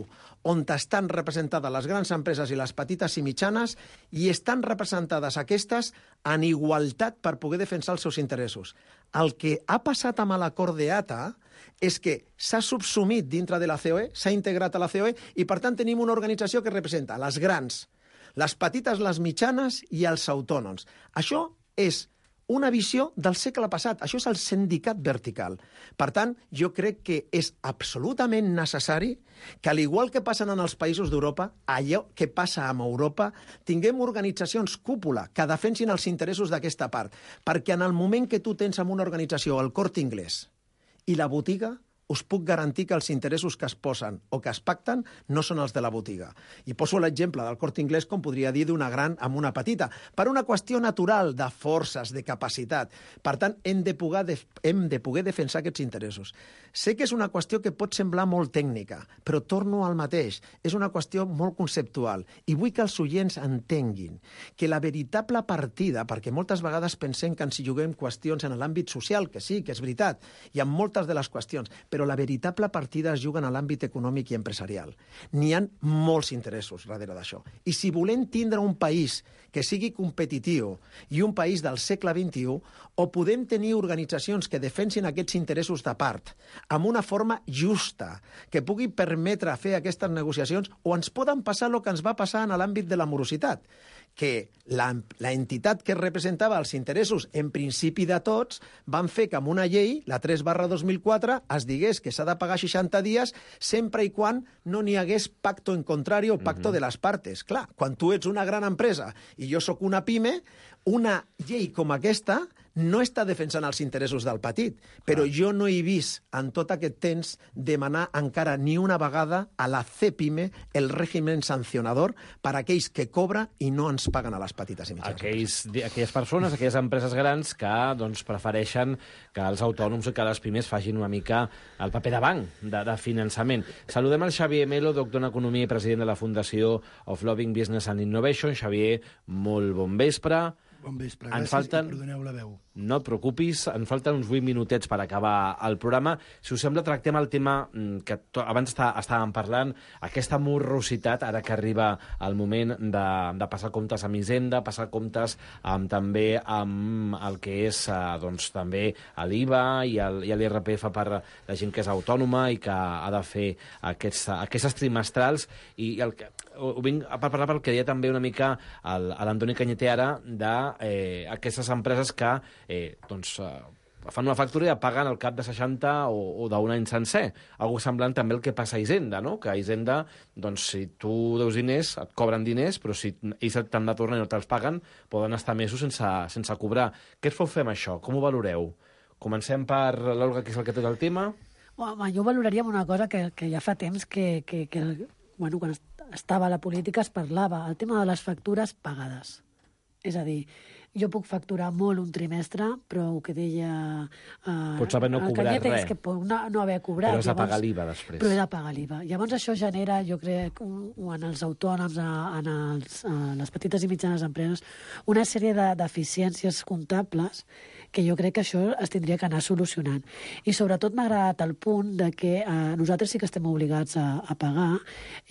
on estan representades les grans empreses i les petites i mitjanes i estan representades aquestes en igualtat per poder defensar els seus interessos. El que ha passat amb l'acord de A T A és que s'ha subsumit dintre de la C O E, s'ha integrat a la C O E i, per tant, tenim una organització que representa les grans, les petites, les mitjanes i els autònoms. Això és una visió del segle passat. Això és el sindicat vertical. Per tant, jo crec que és absolutament necessari que, al igual que passen en els països d'Europa, allò que passa amb Europa, tinguem organitzacions cúpula que defensin els interessos d'aquesta part. Perquè en el moment que tu tens amb una organització el Corte Inglés i la botiga, us puc garantir que els interessos que es posen o que es pacten no són els de la botiga. I poso l'exemple del Corte Inglés, com podria dir, d'una gran amb una petita, per una qüestió natural de forces, de capacitat. Per tant, hem de poder, de, hem de poder defensar aquests interessos. Sé que és una qüestió que pot semblar molt tècnica, però torno al mateix. És una qüestió molt conceptual. I vull que els oients entenguin que la veritable partida, perquè moltes vegades pensem que ens hi juguem qüestions en l'àmbit social, que sí, que és veritat, i en moltes de les qüestions, però la veritable partida es juga en l'àmbit econòmic i empresarial. N'hi ha molts interessos darrere d'això. I si volem tindre un país que sigui competitiu i un país del segle vint-i-u, o podem tenir organitzacions que defensin aquests interessos de part amb una forma justa, que pugui permetre fer aquestes negociacions, o ens poden passar el que ens va passar en l'àmbit de la morositat, que la, la entitat que representava els interessos, en principi de tots, van fer que amb una llei, la tres barra dos mil quatre, es digués que s'ha de pagar seixanta dies sempre i quan no n'hi hagués pacto en contrari o pacto uh-huh. de les partes. Clar, quan tu ets una gran empresa i jo sóc una pime, una llei com aquesta no està defensant els interessos del petit, però ah. jo no he vist en tot aquest temps demanar encara ni una vegada a la CEPIME el règim sancionador per a aquells que cobra i no ens paguen a les petites i mitjanes. Aquells, aquelles persones, aquelles empreses grans que doncs, prefereixen que els autònoms i que les pimes facin una mica el paper de banc, de, de finançament. Saludem el Xavier Melo, doctor en Economia i president de la Fundació of Loving Business and Innovation. Xavier, molt bon vespre. Bon vespre, ens gràcies falten... i perdoneu la veu. No et preocupis, ens falten uns vuit minutets per acabar el programa. Si us sembla, tractem el tema que abans està, estàvem parlant, aquesta morrositat, ara que arriba el moment de, de passar comptes amb Hisenda, passar comptes amb, també amb el que és eh, doncs, també l'I V A i l'I R P F per la gent que és autònoma i que ha de fer aquests, aquestes trimestrals. I el que, ho vinc a parlar pel que deia també una mica l'Antoni Cañete ara, d'aquestes eh, empreses que eh, doncs, eh, fan una factura i la paguen al cap de seixanta o, o d'un any sencer. Algo semblant també el que passa a Hisenda, no? Que a Hisenda, doncs, si tu deus diners, et cobren diners, però si ells t'han de tornar i no te'ls paguen, poden estar mesos sense, sense cobrar. Què es pot fer amb això? Com ho valoreu? Comencem per l'Olga, que és el que té el tema. Home, jo valoraria una cosa que, que ja fa temps que, que, que bueno, quan estava a la política es parlava, el tema de les factures pagades. És a dir, jo puc facturar molt un trimestre, però el que deia uh, Pots haver no cobrat res. És que puc no, no haver cobrat. Però has de pagar l'I V A després. Però he de pagar l'I V A. Llavors això genera, jo crec, un, en els autònoms, en, els, en les petites i mitjanes empreses, una sèrie de deficiències comptables que jo crec que això es tindria que anar solucionant. I sobretot m'ha agradat el punt de que eh, nosaltres sí que estem obligats a, a pagar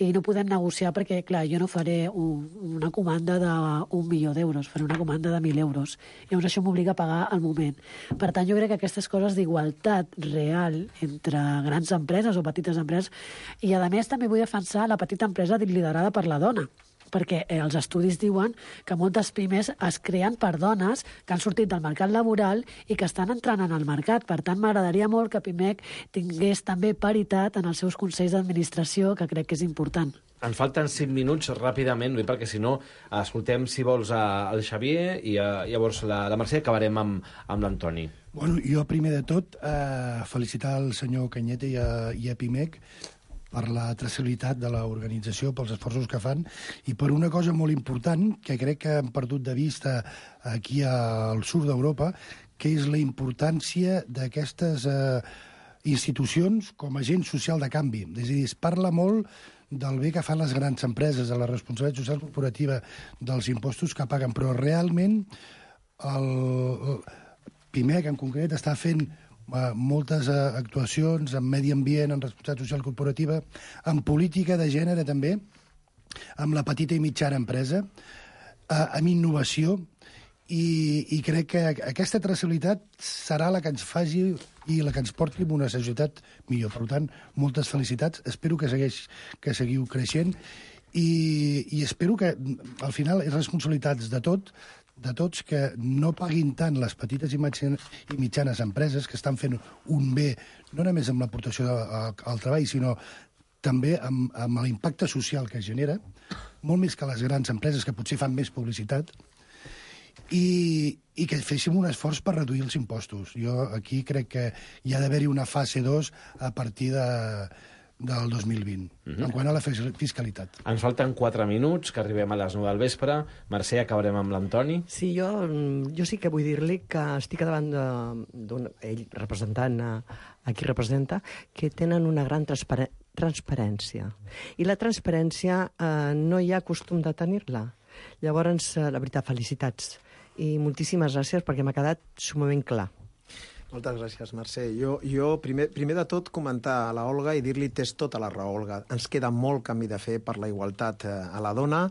i no podem negociar perquè, clar, jo no faré un, una comanda d'un milió d'euros, faré una comanda de mil euros. Llavors això m'obliga a pagar al moment. Per tant, jo crec que aquestes coses d'igualtat real entre grans empreses o petites empreses, i a més també vull defensar la petita empresa liderada per la dona, perquè eh, els estudis diuen que moltes pimes es creen per dones que han sortit del mercat laboral i que estan entrant en el mercat. Per tant, m'agradaria molt que Pimec tingués també paritat en els seus consells d'administració, que crec que és important. Ens falten cinc minuts ràpidament, perquè si no, escoltem, si vols, el Xavier i a, llavors la, la Mercè, acabarem amb, amb l'Antoni. Bueno, jo, primer de tot, eh, felicitar el senyor Cañete i a, i a Pimec per la traçabilitat de l'organització, pels esforços que fan, i per una cosa molt important, que crec que hem perdut de vista aquí al sud d'Europa, que és la importància d'aquestes eh, institucions com a agent social de canvi. És a dir, es parla molt del bé que fan les grans empreses, de la responsabilitat social corporativa, dels impostos que paguen, però realment el, el Pimec, en concret, està fent moltes actuacions en medi ambient, en responsabilitat social corporativa, en política de gènere també, amb la petita i mitjana empresa, amb innovació, i, i crec que aquesta traçabilitat serà la que ens faci i la que ens porti a una societat millor. Per tant, moltes felicitats. Espero que, segueix, que seguiu creixent i, i espero que, al final, és responsabilitats de tot, de tots, que no paguin tant les petites i mitjanes empreses que estan fent un bé, no només amb l'aportació al treball, sinó també amb, amb l'impacte social que genera, molt més que les grans empreses, que potser fan més publicitat, i, i que féssim un esforç per reduir els impostos. Jo aquí crec que hi ha d'haver-hi una fase dos a partir de... del dos mil vint, uh-huh. en quant a la fiscalitat. Ens falten quatre minuts, que arribem a les nou del vespre. Mercè, acabarem amb l'Antoni. Sí, jo, jo sí que vull dir-li que estic davant d'un... ell representant a, a qui representa, que tenen una gran transpar transparència. I la transparència eh, no hi ha costum de tenir-la. Llavors, eh, la veritat, felicitats. I moltíssimes gràcies perquè m'ha quedat sumament clar. Moltes gràcies, Mercè. Jo, jo primer, primer de tot, comentar a la Olga i dir-li tens tota la raó, Olga. Ens queda molt camí de fer per la igualtat eh, a la dona.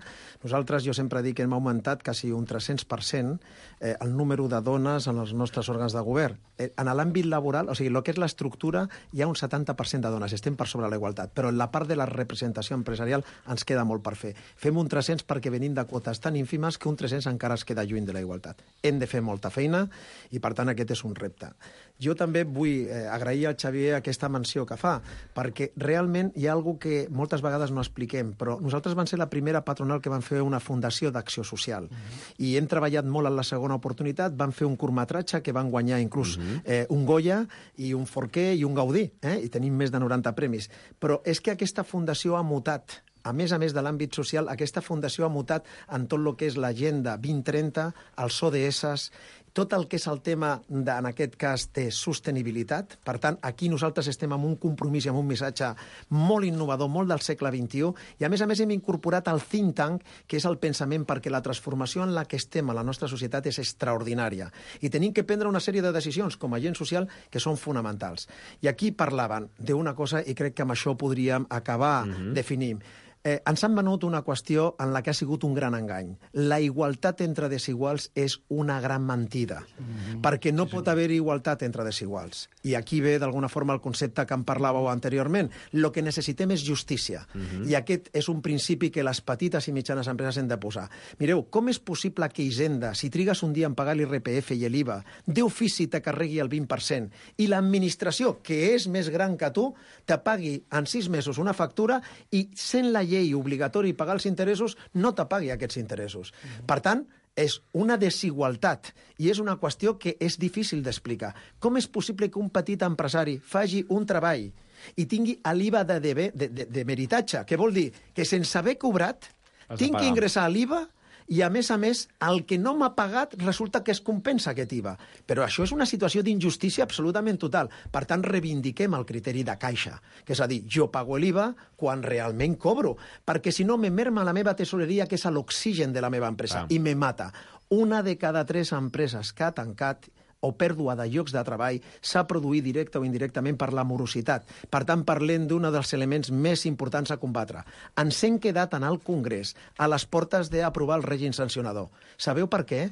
Nosaltres, jo sempre dic que hem augmentat quasi un tres-cents per cent eh, el número de dones en els nostres òrgans de govern. Eh, en l'àmbit laboral, o sigui, el que és l'estructura, hi ha un setanta per cent de dones, estem per sobre la igualtat, però en la part de la representació empresarial ens queda molt per fer. Fem un tres-cents perquè venim de quotes tan ínfimes que un tres-cents encara es queda lluny de la igualtat. Hem de fer molta feina i, per tant, aquest és un repte. Jo també vull eh, agrair al Xavier aquesta menció que fa, perquè realment hi ha alguna que moltes vegades no expliquem, però nosaltres vam ser la primera patronal que vam fer una fundació d'acció social. Uh-huh. I hem treballat molt en la segona oportunitat, vam fer un curtmetratge que van guanyar inclús uh-huh. eh, un Goya i un Forquer i un Gaudí, eh? I tenim més de noranta premis. Però és que aquesta fundació ha mutat. A més a més de l'àmbit social, aquesta fundació ha mutat en tot el que és l'agenda vint trenta, els O D S, tot el que és el tema, de, en aquest cas, de sostenibilitat. Per tant, aquí nosaltres estem amb un compromís i amb un missatge molt innovador, molt del segle vint-i-u, i a més a més hem incorporat el think tank, que és el pensament, perquè la transformació en la que estem a la nostra societat és extraordinària. I tenim que prendre una sèrie de decisions com a agent social que són fonamentals. I aquí parlaven d'una cosa, i crec que amb això podríem acabar uh-huh. definint. Eh, ens han venut una qüestió en la que ha sigut un gran engany. La igualtat entre desiguals és una gran mentida, mm-hmm. perquè no sí, pot sí. haver igualtat entre desiguals. I aquí ve, d'alguna forma, el concepte que en parlàveu anteriorment. Lo que necessitem és justícia. Mm-hmm. I aquest és un principi que les petites i mitjanes empreses han de posar. Mireu, com és possible que Hisenda, si trigues un dia en pagar l'I R P F i l'I V A, d'ofici te carregui el vint per cent, i l'administració, que és més gran que tu, te pagui en sis mesos una factura i, sent la llei obligatori pagar els interessos, no te pagui aquests interessos. Mm-hmm. Per tant, és una desigualtat i és una qüestió que és difícil d'explicar. Com és possible que un petit empresari faci un treball i tingui l'I V A de, de, de, de meritatge, que vol dir que sense haver cobrat tinc que ingressar a l'I V A i, a més a més, el que no m'ha pagat resulta que es compensa aquest I V A. Però això és una situació d'injustícia absolutament total. Per tant, reivindiquem el criteri de caixa, que és a dir, jo pago l'I V A quan realment cobro, perquè si no me merma la meva tesoreria, que és l'oxigen de la meva empresa, ah. i me mata. Una de cada tres empreses que ha tancat o pèrdua de llocs de treball s'ha produït directe o indirectament per la morositat. Per tant, parlem d'un dels elements més importants a combatre. Ens hem quedat en el Congrés a les portes d'aprovar el règim sancionador. Sabeu per què?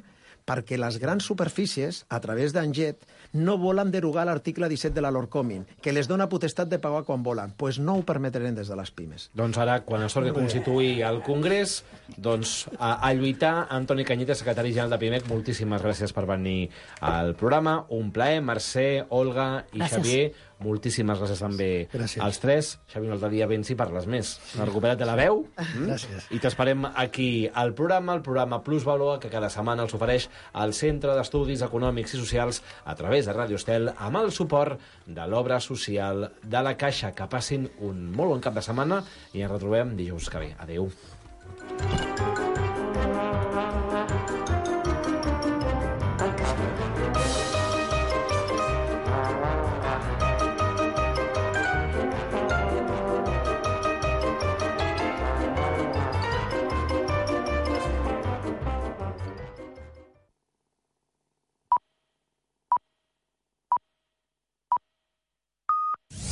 Perquè les grans superfícies, a través d'Anget, no volen derogar l'article disset de la Lorcomin, que les dona potestat de pagar quan volen. Doncs pues no ho permetrem des de les pimes. Doncs ara, quan es torni a constituir el Congrés, doncs a, a lluitar. Antoni Cañete, secretari general de Pimec, moltíssimes gràcies per venir al programa. Un plaer. Mercè, Olga i gràcies. Xavier, moltíssimes gràcies també gràcies. als tres. Xavier, un altre dia vens i parles més. Has recuperat de la veu. Mm? Gràcies. I t'esperem aquí al programa, el programa Plus Valor, que cada setmana els ofereix al Centre d'Estudis Econòmics i Socials a través de Radio Estel, amb el suport de l'obra social de la Caixa. Que passin un molt bon cap de setmana i ens retrobem dijous que ve. Adéu.